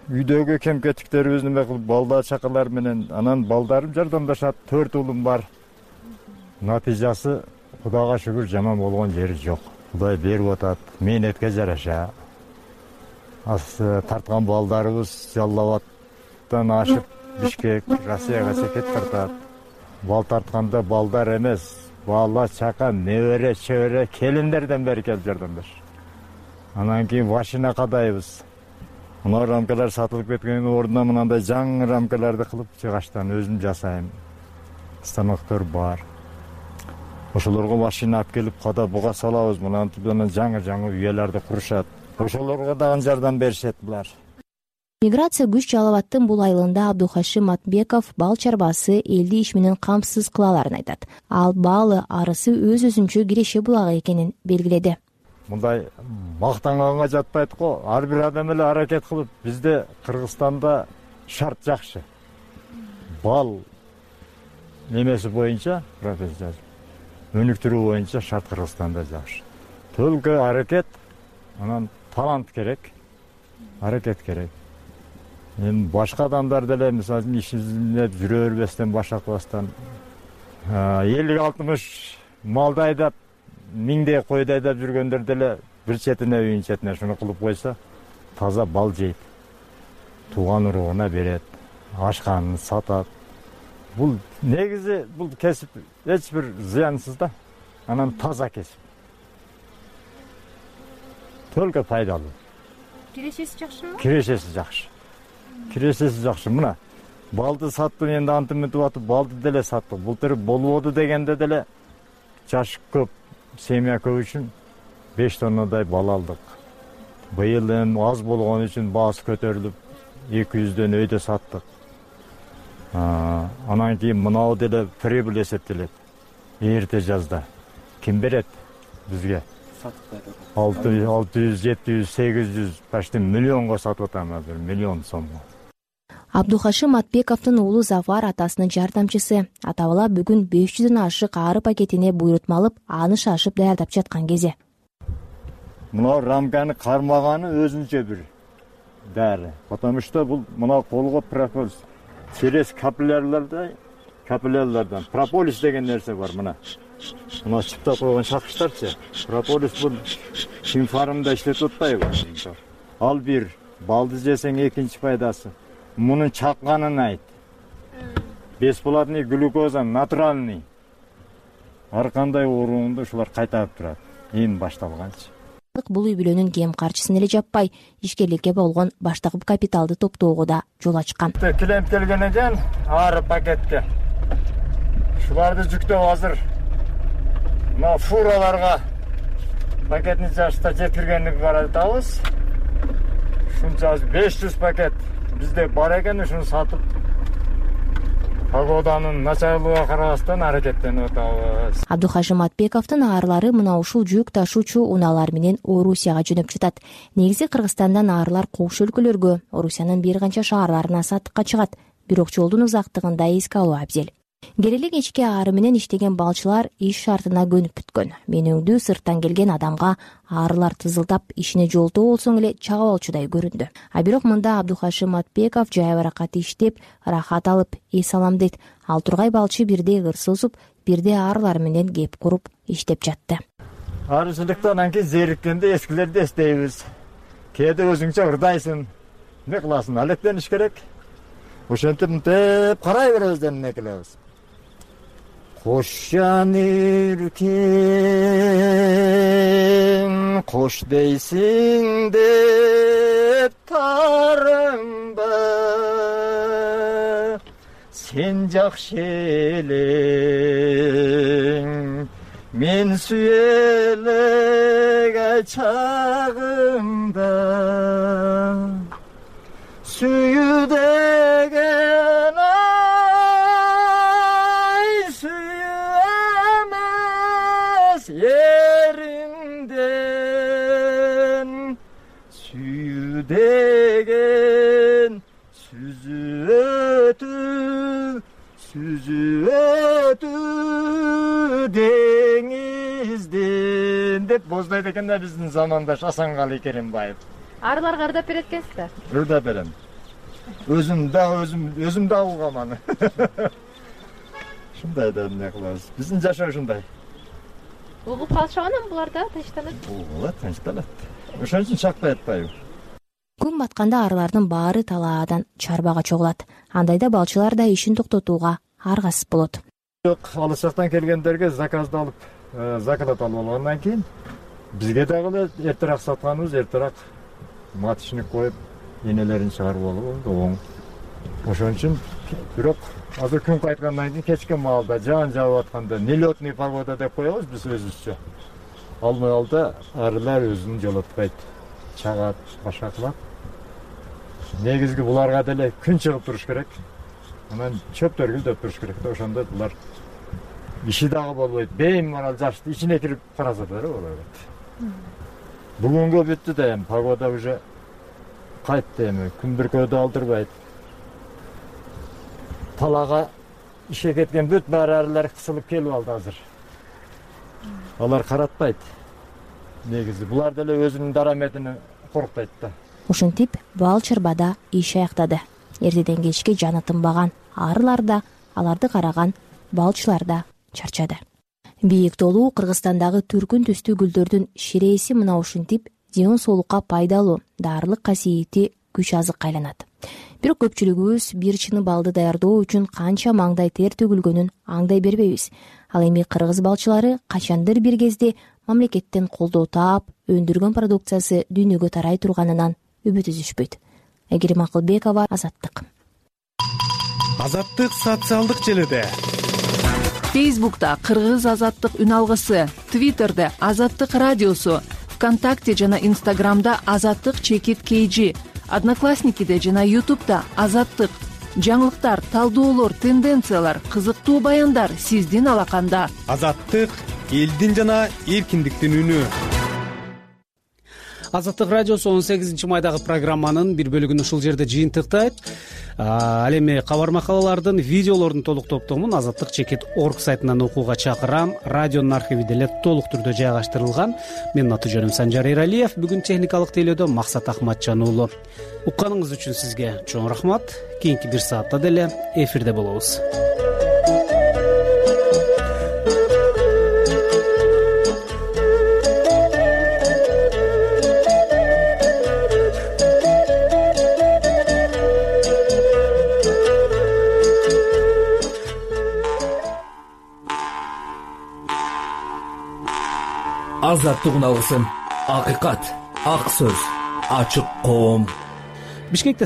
үйдөгү кем-кетиктерибизди эме кылып, балдар чакалар менен, анан балдарым жардамдашат, төрт уулум бар. Натыйжасы Кудайга шүгүр жаман болгон жери жок. Кудай берип атат, мээнетке жараша. Аз тарткан балдарыбыз Жалал Абадтан ашып Бишкек, Россияга чекет тартат. Бал тартканда балдар эмес, бала, чака, небере, чебере, келиндерден бери келип жардамдаш. Анан кийин машина кадайбыз. Мына рамкалар сатылып кеткендин ордуна мындай жаңы рамкаларды кылып чыгаштан өзүм жасайм. Станоктор бар. Ошолорго машина алып келип када буга салабыз. Мынантип жаңы-жаңы үйлөрдү курушат. Ошолорго дагы жардам беришет булар. Миграция күч Жалал Абадтын бул айылында Абдухашим Матбеков бал чарбасы элди иш менен камсыз кылаларын айтат. Ал балы арысы өз-өзүнчө киреше булагы экенин белгиледи. Мындай мактанганга жатпайт го. Ар бир адам эле аракет кылып, бизде Кыргызстанда шарт жакшы. Бал немеси боюнча, профессор, өнүктүрүү боюнча шарт Кыргызстанда жакшы. Төлкө аракет, анан талант керек, аракет керек. Эми башка адамдар деле мисалы үчүн ишине жүрө бербестен, башакбастан элүү алтымыш малды айдап, миңдей койду айдап жүргөндөр деле бир четине үйүн четине шуну кылып койсо, таза бал жейт. Тууган уругуна берет, ашканын сатат. бул негизи бул кесип эч бир зыянсыз да, анан таза кесип. Только пайдалуу. Кирешеси жакшымы? Кирешеси жакшы. Кирешеси жакшы. Мына балды саттым, энди антыментип атып балды деле саттык. Былтыр болбоду дегенде деле жаш көп, семья көп үчүн беш тоннадай бал алдык. Быйыл эми аз болгон үчүн баасы көтөрүлүп эки жүздөн өйдө саттык. Анан кийин мынау деле прибыль эсептелет. Эрте жазда ким берет бизге? алты жүз, жети жүз, сегиз жүз, почти миллионго сатып атам азыр, миллион сомго. Абдухашим Атбековдун уулу Зафар атасынын жардамчысы. Ата-бала бүгүн беш жүздөн ашык ары пакетине буйрутма алып, аны шашып даярдап жаткан кези. Мына рамканы кармаганы өзүнчө бир дары. Потому что бул мына колго прополис, через капиллярларда, капиллялардан прополис деген нерсе бар мына. Мына чыптап койгон шакыштарчы. Прополис бул химфармда иштетип атпайбы? Ал бир, балды жесең экинчи пайдасы. Мунун чакканын айт. Бесплатный глюкоза натуральный. Ар кандай ооруңду ушулар кайтарып турат. Эми башталганчы. Бул үй бүлөнүн кем карчысын эле жаппай, ишкерликке болгон баштагы капиталды топтоого да жол ачкан. Клиент келген экен, ары пакетке. Шуларды жүктөп азыр мына фураларга пакетни жашта жеткиргенди каратабыз. Ушунча беш жүз пакет бизде бар экен, ушуну сатып погоданын начарлыгына карабастан аракеттенип атабыз. Абдухашим Атбековдун аарылары мына ушул жүк ташуучу унаалар менен Орусияга жөнөп жатат. Негизи Кыргызстандан аарылар кош өлкөлөргө, Орусиянын бир канча шаарларына сатыкка чыгат. Бирок жолдун узактыгын да эске алуу абзел. Келелек ички аары менен иштеген балчылар иш шартына көнүп бүткөн. Менүүңдүү сырттан келген адамга аарылар тызылдап ишине жолтоо болсоң эле чагып алчудай көрүндү. А бирок мында Абдухашим Атбеков жай баракат иштеп, рахат алып, эс алам дейт. Ал тургай балчы бирде ыр созуп, бирде аарылар менен кеп куруп иштеп жатты. Арычылыктан анан кийин зериккенде эскилерди эстейбиз. Кээде өзүңчө ырдайсың. Не кыласың? Алектениш керек. Ошентип мынтип карай беребиз деп эмне кылабыз? Кош жан эркем, кош дейсиң деп тарымба, сен жакшы элең, мен сүйелег чагымда, сүйүү деген еримден, сүйүү деген сүзүп өтүү деңизден деп боздойт экен да биздин замандаш Асанкали Керимбаев. Арыларга ырдап берет экенсиз да? Ырдап берем. Өзүм да өзүм өзүм да угам аны. Шундай да эмне кылабыз? Биздин жашоо ушундай. Угуп калышабанан булар да тынчтанат. Угулат, тынчтанат. Ошон үчүн чакпай атпайбы? Күн батканда арылардын баары талаадан чарбага чогулат. Андайда балчылар да ишин токтотууга аргасыз болот. Жок, алыс жактан келгендерге заказды алып, заказат алып алгандан кийин бизге дагы эртерээк сатканыбыз, эртерээк маточник коюп, энелерин чыгарып алып оң. Ошон үчүн бирок азыр күн кайткандан кийин кечки маалда жаан жаап атканда нелетный погода деп коебуз биз өзүбүзчө. Ал маалда арылар өзүн жолотпойт, чагат, башка кылат. Негизги буларга деле күн чыгып туруш керек. Анан чөптөр гүлдөп туруш керек да, ошондо булар иши дагы болбойт. Беймарал жашты ичине кирип караса да болот. Бүгүнгө бүттү да эми погода уже кайтты, эми күн бүркөөдө алдырбайт. Талага ишке кеткен бүт баары арылар кысылып келип алды азыр. Алар каратпайт. Негизи булар деле өзүнүн дараметини корктойт да. Ушинтип бал чарбада иш аяктады. Эртеден кечке жаны тынбаган арылар да, аларды караган балчылар да чарчады. Бийик толуу Кыргызстандагы түркүн түстүү гүлдөрдүн ширээси мына ушинтип ден соолукка пайдалуу, дарылык касиети күч азыкка айланат. бирок көпчүлүгүбүз бир чыны балды даярдоо үчүн канча маңдай тер төгүлгөнүн аңдай бербейбиз. Ал эми кыргыз балчылары качандыр бир кезде мамлекеттен колдоо таап, өндүргөн продукциясы дүйнөгө тарай турганынан үмүт үзүшпөйт. Айгерим Акылбекова, Азаттык. Азаттык социалдык желиде. Фейсбукта Кыргыз Азаттык үн алгысы, Твиттерде Азаттык радиосу, ВКонтакте жана Инстаграмда Азаттык чекит кейжи, Одноклассникиде жана Ютубда Азаттык. Жаңылыктар, талдоолор, тенденциялар, кызыктуу баяндар сиздин алаканда. Азаттык элдин жана эркиндиктин үнү. Азаттык радиосу он сегизинчи майдагы программанын бир бөлүгүн ушул жерде жыйынтыктайт. Ал эми кабар макалалардын, видеолордун толук топтомун азаттык чекит орг сайтынан окууга чакырам. Радионун архиви деле толук түрдө жайгаштырылган. Менин аты жөнүм Санжар Эралиев. Бүгүн техникалык тейлөөдө Максат Ахматжан уулу. Укканыңыз үчүн сизге чоң рахмат. Кийинки бир саатта деле эфирде болобуз. Азаттык үн алгысы, акыйкат, ак сөз, ачык коом. Бишкекте